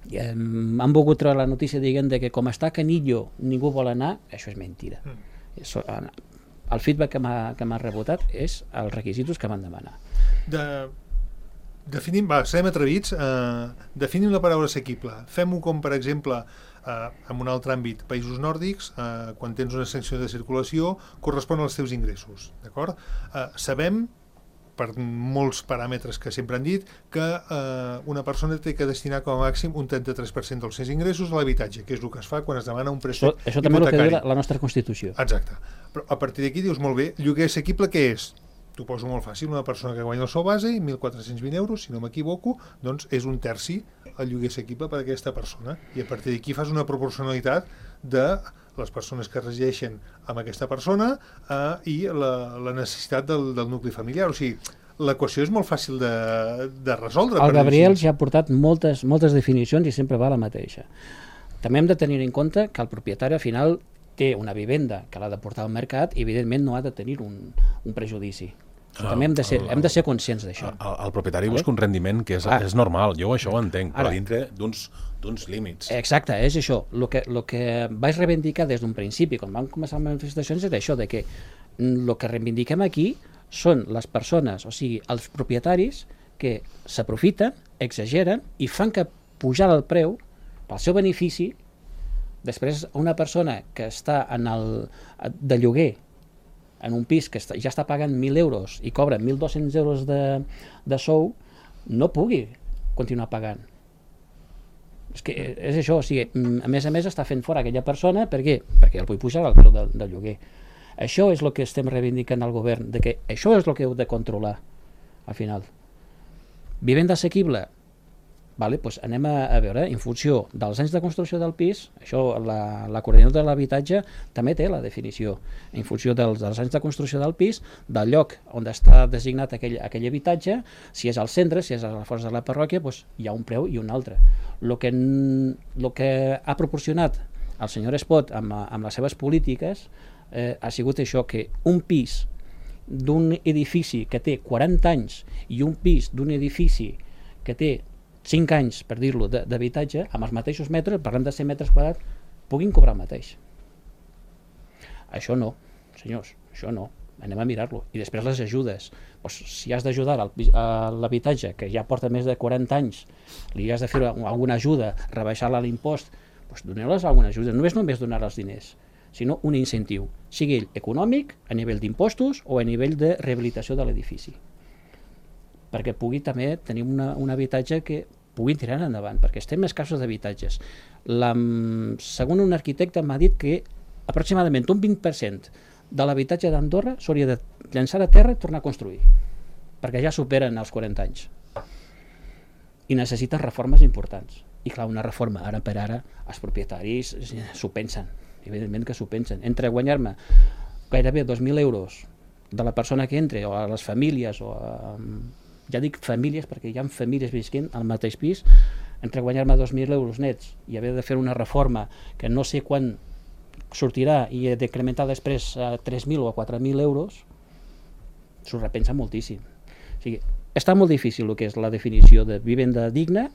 I, eh, han volgut treure la notícia dient de que com està a Canillo ningú vol anar, això és mentira. Mm. Això, el feedback que m'ha que m'ha rebotat és els requisits que van demanar. De... Definim, va, serem atrevits, eh, definim la paraula assequible. Fem-ho com, per exemple, eh, en un altre àmbit, països nòrdics, eh, quan tens una sanció de circulació, correspon als teus ingressos, d'acord? Eh, sabem, per molts paràmetres que sempre han dit, que eh, una persona té que destinar com a màxim un trenta-tres per cent dels seus ingressos a l'habitatge, que és el que es fa quan es demana un préstec hipotecari. Això també és el que diu la, la nostra Constitució. Exacte. Però a partir d'aquí dius, molt bé, lloguer assequible què és? T'ho poso molt fàcil, una persona que guanya el sou base, mil quatre-cents vint euros, si no m'equivoco, doncs és un terci el lloguer assequible per a aquesta persona. I a partir d'aquí fas una proporcionalitat de les persones que resideixen amb aquesta persona eh, i la, la necessitat del, del nucli familiar. O sigui, l'equació és molt fàcil de, de resoldre. El Gabriel ja ha portat moltes, moltes definicions i sempre va la mateixa. També hem de tenir en compte que el propietari al final té una vivenda que l'ha de portar al mercat i evidentment no ha de tenir un, un prejudici. Ah, també hem de ser, el, hem de ser conscients d'això. El, el propietari vale? busca un rendiment que és, és normal, jo això ho entenc, Ara, però dintre d'uns d'uns límits. Exacte, és això. El que, lo que vaig reivindicar des d'un principi, quan vam començar les manifestacions, és això, de que el que reivindiquem aquí són les persones, o sigui, els propietaris que s'aprofiten, exageren i fan que pujar el preu pel seu benefici. Després, una persona que està en el, de lloguer en un pis que està, ja està pagant mil euros i cobra mil dos-cents euros de, de sou, no pugui continuar pagant. És que és això, o sigui, a més a més està fent fora aquella persona, per què? Perquè el vull pujar al preu del, del lloguer. Això és el que estem reivindicant al govern, de que això és el que heu de controlar, al final. Vivenda assequible, vale, doncs anem a, a veure, en funció dels anys de construcció del pis, això la, la coordinadora de l'habitatge també té la definició, en funció dels, dels anys de construcció del pis, del lloc on està designat aquell, aquell habitatge, si és al centre, si és a la fora de la parròquia, doncs hi ha un preu i un altre. El que, lo que ha proporcionat el senyor Espot amb, amb les seves polítiques eh, ha sigut això, que un pis d'un edifici que té quaranta anys i un pis d'un edifici que té cinc anys, per dir-lo, d'habitatge, amb els mateixos metres, parlem de cent metres quadrats, puguin cobrar el mateix. Això no, senyors, això no. Anem a mirar-lo. I després les ajudes. Pues, si has d'ajudar a l'habitatge, que ja porta més de quaranta anys, li has de fer alguna ajuda, rebaixar-la l'impost, pues doneu-les alguna ajuda. No és només donar els diners, sinó un incentiu, sigui ell econòmic, a nivell d'impostos o a nivell de rehabilitació de l'edifici, perquè pugui també tenir una, un habitatge que puguin tirar endavant, perquè estem escassos d'habitatges. Segons un arquitecte m'ha dit que aproximadament un vint per cent de l'habitatge d'Andorra s'hauria de llançar a terra i tornar a construir, perquè ja superen els quaranta anys. I necessiten reformes importants. I clar, una reforma ara per ara, els propietaris s'ho pensen, evidentment que s'ho pensen. Entre guanyar-me gairebé dos mil euros de la persona que entre, o a les famílies, o a, ja dic famílies perquè hi ha famílies visquent al mateix pis, entre guanyar-me dos mil euros nets i haver de fer una reforma que no sé quan sortirà i he d'incrementar després a tres mil o a quatre mil euros, s'ho repensa moltíssim. O sigui, està molt difícil el que és la definició de vivenda digna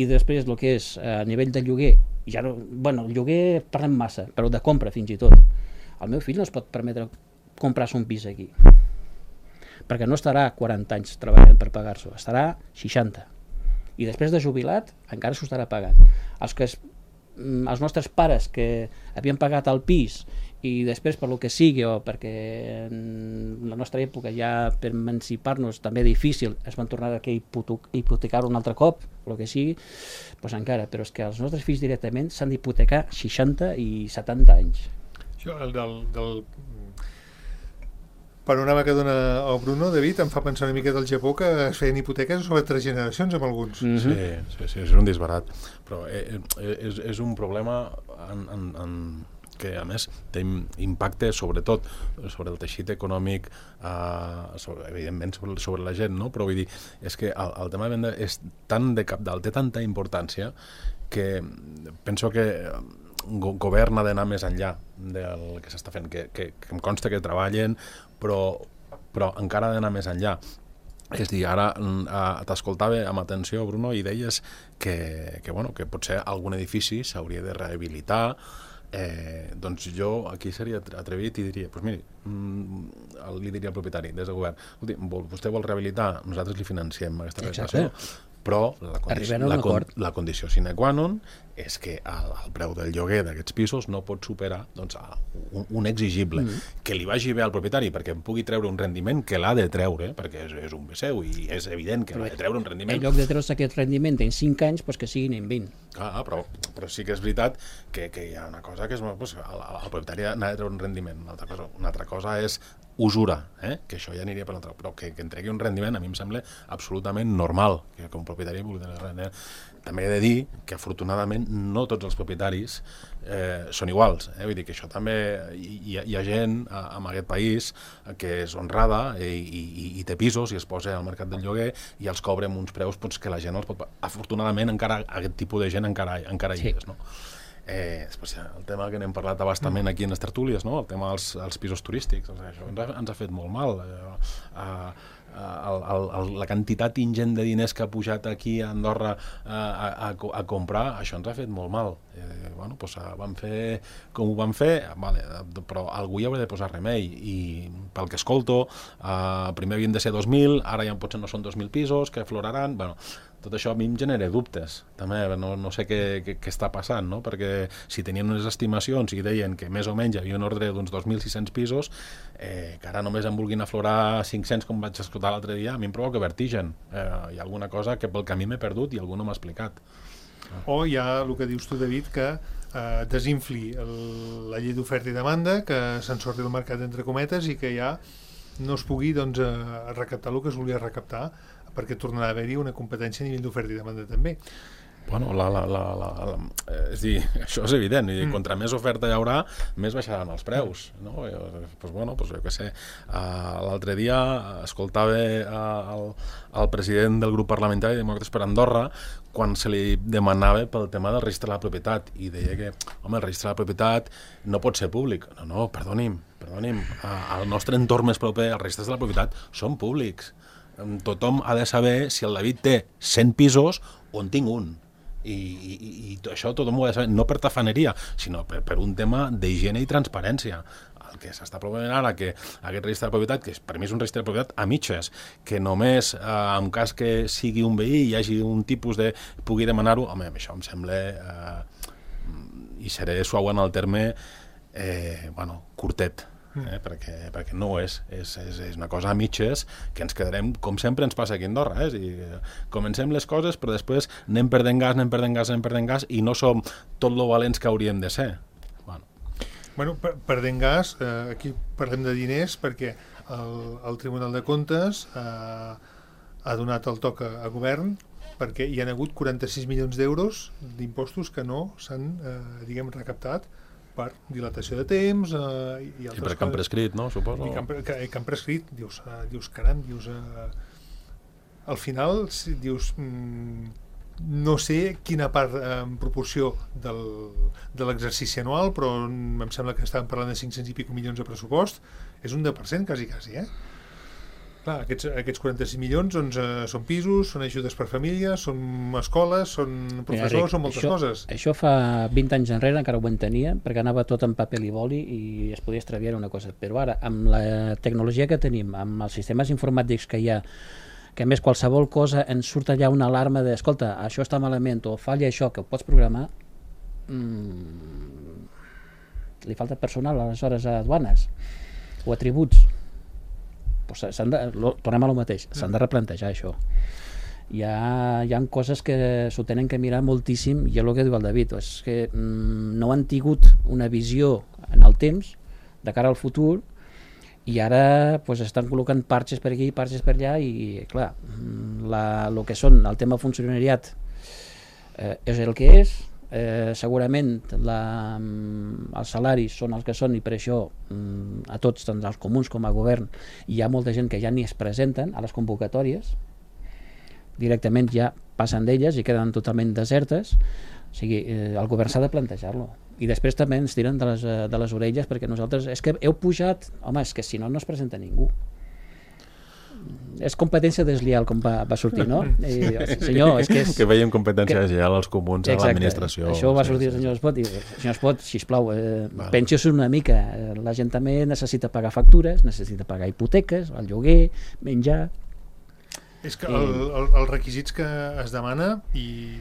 i després el que és a nivell de lloguer. Ja no, bueno, el lloguer parlem massa, però de compra fins i tot. El meu fill no es pot permetre comprar-se un pis aquí, perquè no estarà quaranta anys treballant per pagar-s'ho, estarà seixanta. I després de jubilat encara s'ho estarà pagant. Els, que es, els nostres pares que havien pagat el pis i després per lo que sigui, o perquè en la nostra època ja per emancipar-nos també difícil, es van tornar a hipotecar-ho un altre cop, el que sigui, doncs encara. Però és que els nostres fills directament s'han d'hipotecar seixanta i setanta anys. Això, el del... del... panorama que dona el Bruno, David, em fa pensar una mica del Japó, que es feien hipoteques sobre tres generacions amb alguns. Mm-hmm. Sí, sí, sí, és un disbarat. Però eh, és, és un problema en, en, en, que, a més, té impacte sobretot sobre el teixit econòmic, eh, sobre, evidentment sobre, sobre la gent, no? Però vull dir, és que el, el tema de venda és tan de cabdal, té tanta importància, que penso que el govern ha d'anar més enllà del que s'està fent, que, que, que em consta que treballen, però, però encara ha d'anar més enllà. És dir, ara eh, t'escoltava amb atenció, Bruno, i deies que, que, bueno, que potser algun edifici s'hauria de rehabilitar. Eh, doncs jo aquí seria atrevit i diria, doncs miri, mm, li diria al propietari des del govern, vostè vol rehabilitar, nosaltres li financiem aquesta rehabilitació. Però la, condi la, con la condició sine qua non és que el, el preu del lloguer d'aquests pisos no pot superar doncs, un, un exigible, mm. que li vagi bé al propietari perquè pugui treure un rendiment que l'ha de treure, perquè és, és un bé seu i és evident que l'ha de treure un rendiment. En lloc de treure's aquest rendiment en cinc anys, doncs que siguin en vint. Ah, però, però sí que és veritat que, que hi ha una cosa que és, doncs, el, el propietari n'ha de treure un rendiment, una altra cosa, una altra cosa és usura, eh? Que això ja aniria per l'altre, però que, que entregui un rendiment a mi em sembla absolutament normal, que com a propietari també he de dir que afortunadament no tots els propietaris eh, són iguals, eh? Vull dir que això també hi, hi ha gent en aquest país que és honrada i, i, i té pisos i es posa al mercat del lloguer i els cobra amb uns preus doncs, que la gent els pot... Afortunadament encara aquest tipus de gent encara, encara hi és, no? Eh, després, el tema que n'hem parlat abastament aquí en les tertúlies, no? El tema dels, dels pisos turístics, o sigui, això ens ha, ens ha fet molt mal. Eh, eh, el, el, el, la quantitat ingent de diners que ha pujat aquí a Andorra eh, a, a, a comprar, això ens ha fet molt mal. Eh, bueno, doncs vam fer com ho vam fer, vale, però algú hi haurà de posar remei i pel que escolto, eh, primer havien de ser dos mil, ara ja potser no són dos mil pisos que afloraran, bueno, tot això a mi em genera dubtes, també no, no sé què, què, què està passant, no? Perquè si tenien unes estimacions i deien que més o menys hi havia un ordre d'uns dos mil sis-cents pisos, eh, que ara només en vulguin aflorar cinc-cents com vaig escoltar l'altre dia, a mi em provoca vertigen. Eh, hi ha alguna cosa que pel camí m'he perdut i algú no m'ha explicat. O hi ha el que dius tu, David, que eh, desinfli el, la llei d'oferta i demanda, que s'ensorri el mercat entre cometes i que ja no es pugui doncs, eh, recaptar el que es volia recaptar, perquè tornarà a haver-hi una competència a nivell d'oferta i demanda també. Bueno, la, la, la, la, la, és dir, això és evident, i mm. contra més oferta hi haurà, més baixaran els preus, no? Pues bueno, pues jo què sé, uh, l'altre dia escoltava uh, el, el president del grup parlamentari Demòcrates per Andorra quan se li demanava pel tema del registre de la propietat i deia que, home, el registre de la propietat no pot ser públic. No, no, perdoni'm, perdoni'm, uh, al nostre entorn més proper els registres de la propietat són públics. Tothom ha de saber si el David té cent pisos o en tinc un. I, i, i això tothom ho ha de saber, no per tafaneria, sinó per, per un tema d'higiene i transparència. El que s'està promovent ara, que aquest registre de propietat, que per mi és un registre de propietat a mitges, que només eh, en cas que sigui un veí i hi hagi un tipus de... pugui demanar-ho, home, això em sembla, eh, i seré suau en el terme, eh, bueno, curtet. Eh, perquè, perquè no és, és, és, és una cosa a mitges que ens quedarem, com sempre ens passa aquí a Andorra, eh? I comencem les coses però després anem perdent gas, anem perdent gas, anem perdent gas i no som tot lo valents que hauríem de ser. Bueno, bueno per, perdent gas, eh, aquí parlem de diners perquè el, el Tribunal de Comptes eh, ha donat el toc a, a govern perquè hi ha hagut quaranta-sis milions d'euros d'impostos que no s'han, eh, diguem, recaptat per dilatació de temps eh, i altres I perquè han prescrit, no? Suposo. I que han, que, que han prescrit, dius, uh, dius caram, dius, uh, al final dius, mm, no sé quina part eh, en proporció del, de l'exercici anual, però em sembla que estàvem parlant de cinc-cents i pico milions de pressupost, és un deu per cent quasi, quasi, eh? Clar, aquests, aquests quaranta-sis milions doncs, eh, són pisos, són ajudes per famílies, són escoles, són professors, Mira, Ric, són moltes això, coses. Això fa vint anys enrere encara ho entenia, perquè anava tot en paper i boli i es podia extraviar una cosa. Però ara, amb la tecnologia que tenim, amb els sistemes informàtics que hi ha, que a més qualsevol cosa ens surt allà una alarma de, escolta, això està malament o falla això, que ho pots programar, mmm, li falta personal aleshores a aduanes o a tributs. Pues s'han de, lo, tornem a lo mateix, s'han de replantejar això. Hi ha, hi ha coses que s'ho tenen que mirar moltíssim i és el que diu el David, és que mm, no han tingut una visió en el temps de cara al futur i ara pues, estan col·locant parxes per aquí, parxes per allà i clar, la, lo que són el tema funcionariat eh, és el que és. Eh, segurament la, els salaris són els que són i per això a tots, tant els comuns com a govern, hi ha molta gent que ja ni es presenten a les convocatòries, directament ja passen d'elles i queden totalment desertes. O sigui, eh, el govern s'ha de plantejar-lo i després també ens tiren de les, de les orelles perquè nosaltres, és que heu pujat, home, és que si no no es presenta ningú. És competència deslleial com va, va sortir, no? I, senyor, és que és... Que veiem competència deslleial als comuns, exacte, a l'administració. Això va sortir el senyor Espot i senyor Espot, sisplau, eh, vale. Pensiós una mica. La gent també necessita pagar factures, necessita pagar hipoteques, el lloguer, menjar... És que I... el, el, els requisits que es demana, i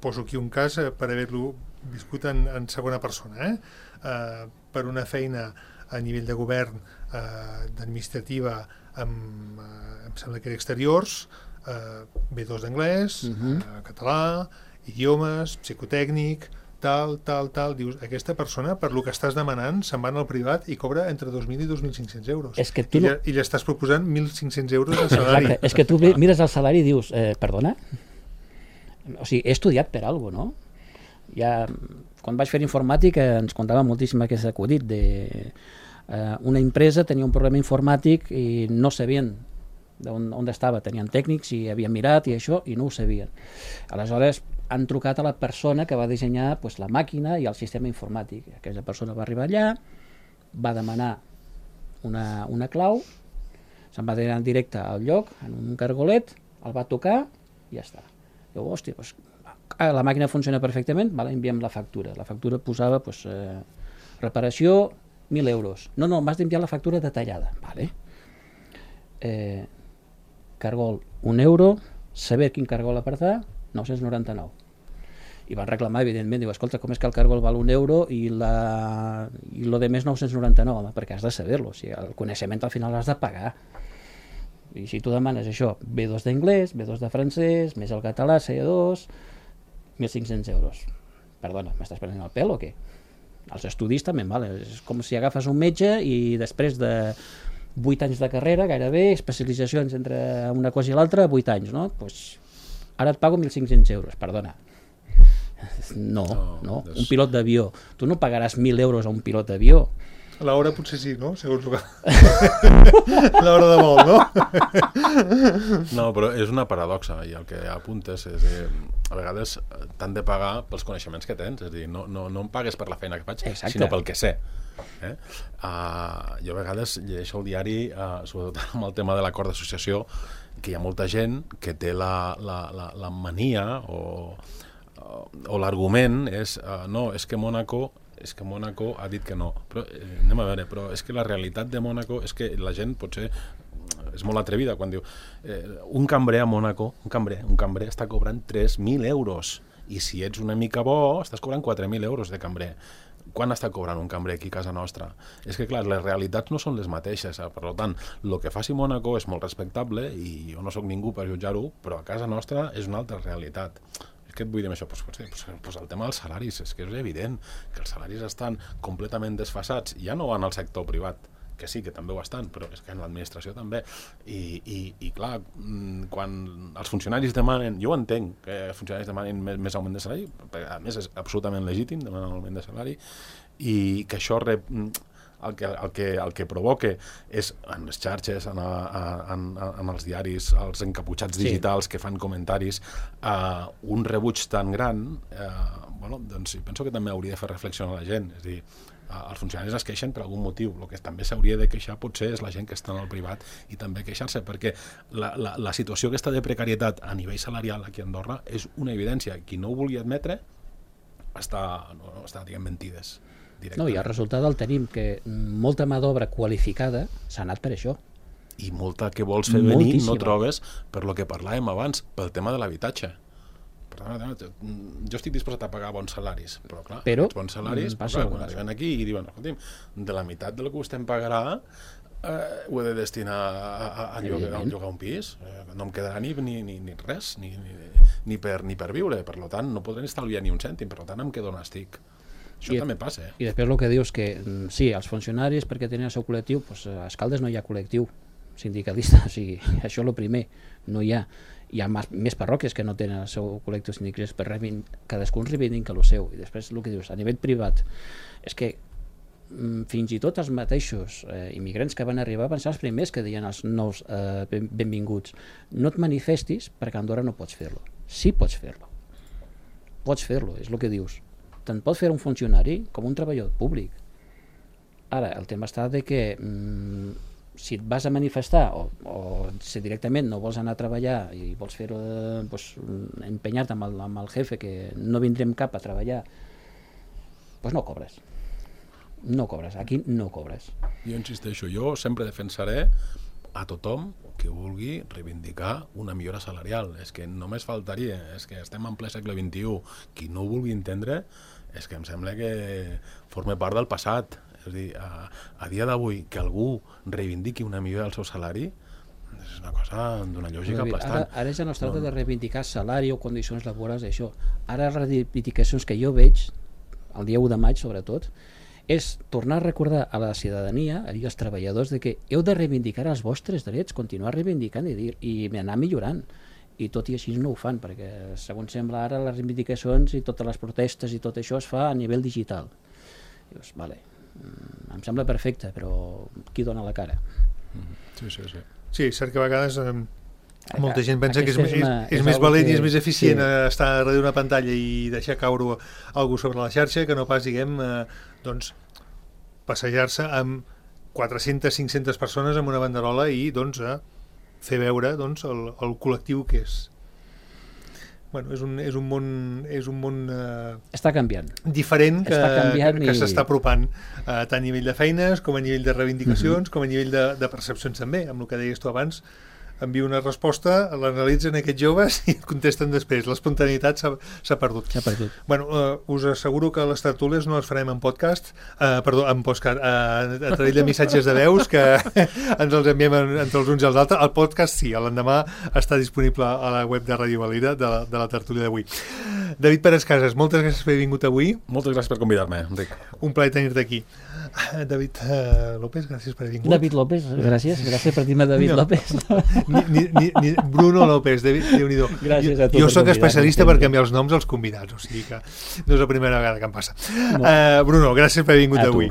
poso aquí un cas per haver-lo viscut en, en segona persona, eh? Uh, per una feina a nivell de govern, eh, d'administrativa, amb, eh, em sembla que era exteriors, eh, B dos d'anglès, uh-huh. eh, català, idiomes, psicotècnic, tal, tal, tal, dius, aquesta persona, per lo que estàs demanant, se'n va al privat i cobra entre dos mil i dos mil cinc-cents euros. És que tu I, no... I li estàs proposant mil cinc-cents euros de salari. Exacte, és que tu mires el salari i dius, eh, perdona? O sigui, he estudiat per alguna cosa, no? Ja, quan vaig fer informàtica ens contava moltíssim aquest acudit de eh, una empresa tenia un problema informàtic i no sabien on, on estava, tenien tècnics i havien mirat i això i no ho sabien. Aleshores han trucat a la persona que va dissenyar pues, la màquina i el sistema informàtic. Aquesta persona va arribar allà, va demanar una, una clau, se'n va anar en directe al lloc, en un cargolet, el va tocar i ja està. Diu, hòstia, pues, la màquina funciona perfectament, vale, enviem la factura. La factura posava pues, eh, reparació, mil euros. No, no, m'has d'enviar la factura detallada. Vale. Eh, cargol, un euro, saber quin cargol apartar, nou-cents noranta-nou. I van reclamar, evidentment, diu, escolta, com és que el cargol val un euro i, la... i lo de més nou-cents noranta-nou? Home, perquè has de saber-lo, o sigui, el coneixement al final l'has de pagar. I si tu demanes això, B dos d'anglès, B dos de francès, més el català, C dos, mil cinc-cents euros. Perdona, m'estàs prenent el pèl o què? Els estudis també, vale? És com si agafes un metge i després de vuit anys de carrera, gairebé, especialitzacions entre una cosa i l'altra, vuit anys, no? Pues, ara et pago mil cinc-cents euros, perdona. No, no, no. Des... un pilot d'avió. Tu no pagaràs mil euros a un pilot d'avió. A l'hora potser sí, no? Segons el que... l'hora de vol, no? No, però és una paradoxa i el que apuntes és que a vegades t'han de pagar pels coneixements que tens, és a dir, no, no, no em pagues per la feina que faig, Exacte. sinó pel que sé. Eh? Uh, jo a vegades llegeixo el diari, uh, sobretot amb el tema de l'acord d'associació, que hi ha molta gent que té la, la, la, la mania o, o l'argument és uh, no, és que Mònaco és que Mònaco ha dit que no, però eh, anem a veure, però és que la realitat de Mònaco és que la gent potser és molt atrevida quan diu eh, un cambrer a Mònaco, un cambrer, un cambrer està cobrant tres mil euros i si ets una mica bo estàs cobrant quatre mil euros de cambrer. Quan està cobrant un cambrer aquí a casa nostra? És que, clar, les realitats no són les mateixes. Eh? Per tant, el que faci Mònaco és molt respectable i jo no sóc ningú per jutjar-ho, però a casa nostra és una altra realitat. Què et vull dir amb això? Pues, pues, pues el tema dels salaris, és que és evident que els salaris estan completament desfasats, ja no en el sector privat, que sí, que també ho estan, però és que en l'administració també. I, i, i clar, quan els funcionaris demanen, jo entenc que els funcionaris demanen més, més augment de salari, perquè a més és absolutament legítim demanar un augment de salari, i que això rep, el, que, el, que, el que provoca és en les xarxes, en, a, en, en els diaris, els encaputxats digitals sí. que fan comentaris, uh, un rebuig tan gran, uh, bueno, doncs penso que també hauria de fer reflexionar la gent, és a dir, els funcionaris es queixen per algun motiu, el que també s'hauria de queixar potser és la gent que està en el privat i també queixar-se, perquè la, la, la situació aquesta de precarietat a nivell salarial aquí a Andorra és una evidència. Qui no ho vulgui admetre està, no, està diguem, mentides. No, i el resultat el tenim, que molta mà d'obra qualificada s'ha anat per això. I molta que vols fer venir Moltíssima. No trobes per lo que parlàvem abans, pel tema de l'habitatge. Jo estic disposat a pagar bons salaris, però clar, però, bons salaris, però, clar, quan arriben aquí i diuen, escolti'm, de la meitat del que vostè em pagarà eh, ho he de destinar a, a, a, llogar, a llogar un pis, eh, no em quedarà ni, ni, ni, ni res, ni, ni, ni, per, ni per viure, per tant no podré estalviar ni un cèntim, per tant em quedo on estic. Això I, també passa. Eh? I després el que dius que sí, els funcionaris perquè tenen el seu col·lectiu, doncs a Escaldes no hi ha col·lectiu sindicalista, o sigui, això és el primer, no hi ha. Hi ha més, més parròquies que no tenen el seu col·lectiu sindicalista, per reivindic, cadascun reivindica el seu. I després el que dius, a nivell privat, és que mm, fins i tot els mateixos eh, immigrants que van arribar van ser els primers que deien als nous eh, ben, benvinguts, no et manifestis perquè a Andorra no pots fer-lo. Sí pots fer-lo. Pots fer-lo, és el que dius. Tant pot fer un funcionari com un treballador públic. Ara, el tema està de que mm, si et vas a manifestar o, o si directament no vols anar a treballar i vols fer-ho, eh, pues, empenyar-te amb, el, amb el jefe que no vindrem cap a treballar, pues no cobres. No cobres, aquí no cobres. Jo insisteixo, jo sempre defensaré a tothom que vulgui reivindicar una millora salarial. És que només faltaria, és que estem en ple segle vint-i-u. Qui no ho vulgui entendre és que em sembla que forma part del passat. És a dir, a, a dia d'avui que algú reivindiqui una millora del seu salari és una cosa d'una lògica aplastant. Ara, ara ja no es tracta no, de reivindicar salari o condicions laborals, això. Ara les reivindicacions que jo veig el dia u de maig sobretot, és tornar a recordar a la ciutadania, a dir als treballadors, de que heu de reivindicar els vostres drets, continuar reivindicant i, dir, i anar millorant. I tot i així no ho fan, perquè segons sembla ara les reivindicacions i totes les protestes i tot això es fa a nivell digital. Dius, vale, em sembla perfecte, però qui dona la cara? Sí, sí, sí. Sí, cert que a vegades eh, molta gent pensa que és, Aquesta és és, una- és, és més algo valent que- i és més eficient sí. eh, estar darrere d'una pantalla i deixar caure algú sobre la xarxa que no pas, diguem, eh, doncs, passejar-se amb quatre-centes cinc-centes persones amb una banderola i doncs, eh, fer veure doncs, el, el col·lectiu que és. Bueno, és un, és un món, és un món eh, Està canviant. diferent que, Està canviant que, que i- s'està apropant eh, tant a nivell de feines com a nivell de reivindicacions, com a nivell de, de percepcions també, amb el que deies tu abans. Envia una resposta, l'analitzen aquests joves i et contesten després. L'espontaneïtat s'ha s'ha perdut. S'ha perdut. Bueno, uh, us asseguro que les tertúlies no les farem en podcast, uh, perdó, en podcast, uh, a través de missatges de veus que ens els enviem en, entre els uns i els altres. El podcast sí, l'endemà està disponible a la web de Ràdio Valira de la, de la tertúlia d'avui. David Pérez Casas, moltes gràcies per haver vingut avui. Moltes gràcies per convidar-me, Enric. Un plaer tenir-te aquí. David uh, López, gràcies per haver vingut. David López, gràcies, gràcies per dir-me David No. López. Ni, ni, ni, ni Bruno López, David, Déu-n'hi-do. Gràcies a tu Jo per sóc convidar-me, especialista per sempre. canviar els noms als convidats, o sigui que no és la primera vegada que em passa. Uh, Bruno, gràcies per haver vingut A tu. avui.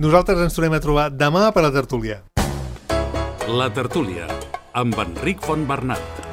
Nosaltres ens tornem a trobar demà per la tertúlia. La tertúlia, amb Enric Fontbernat.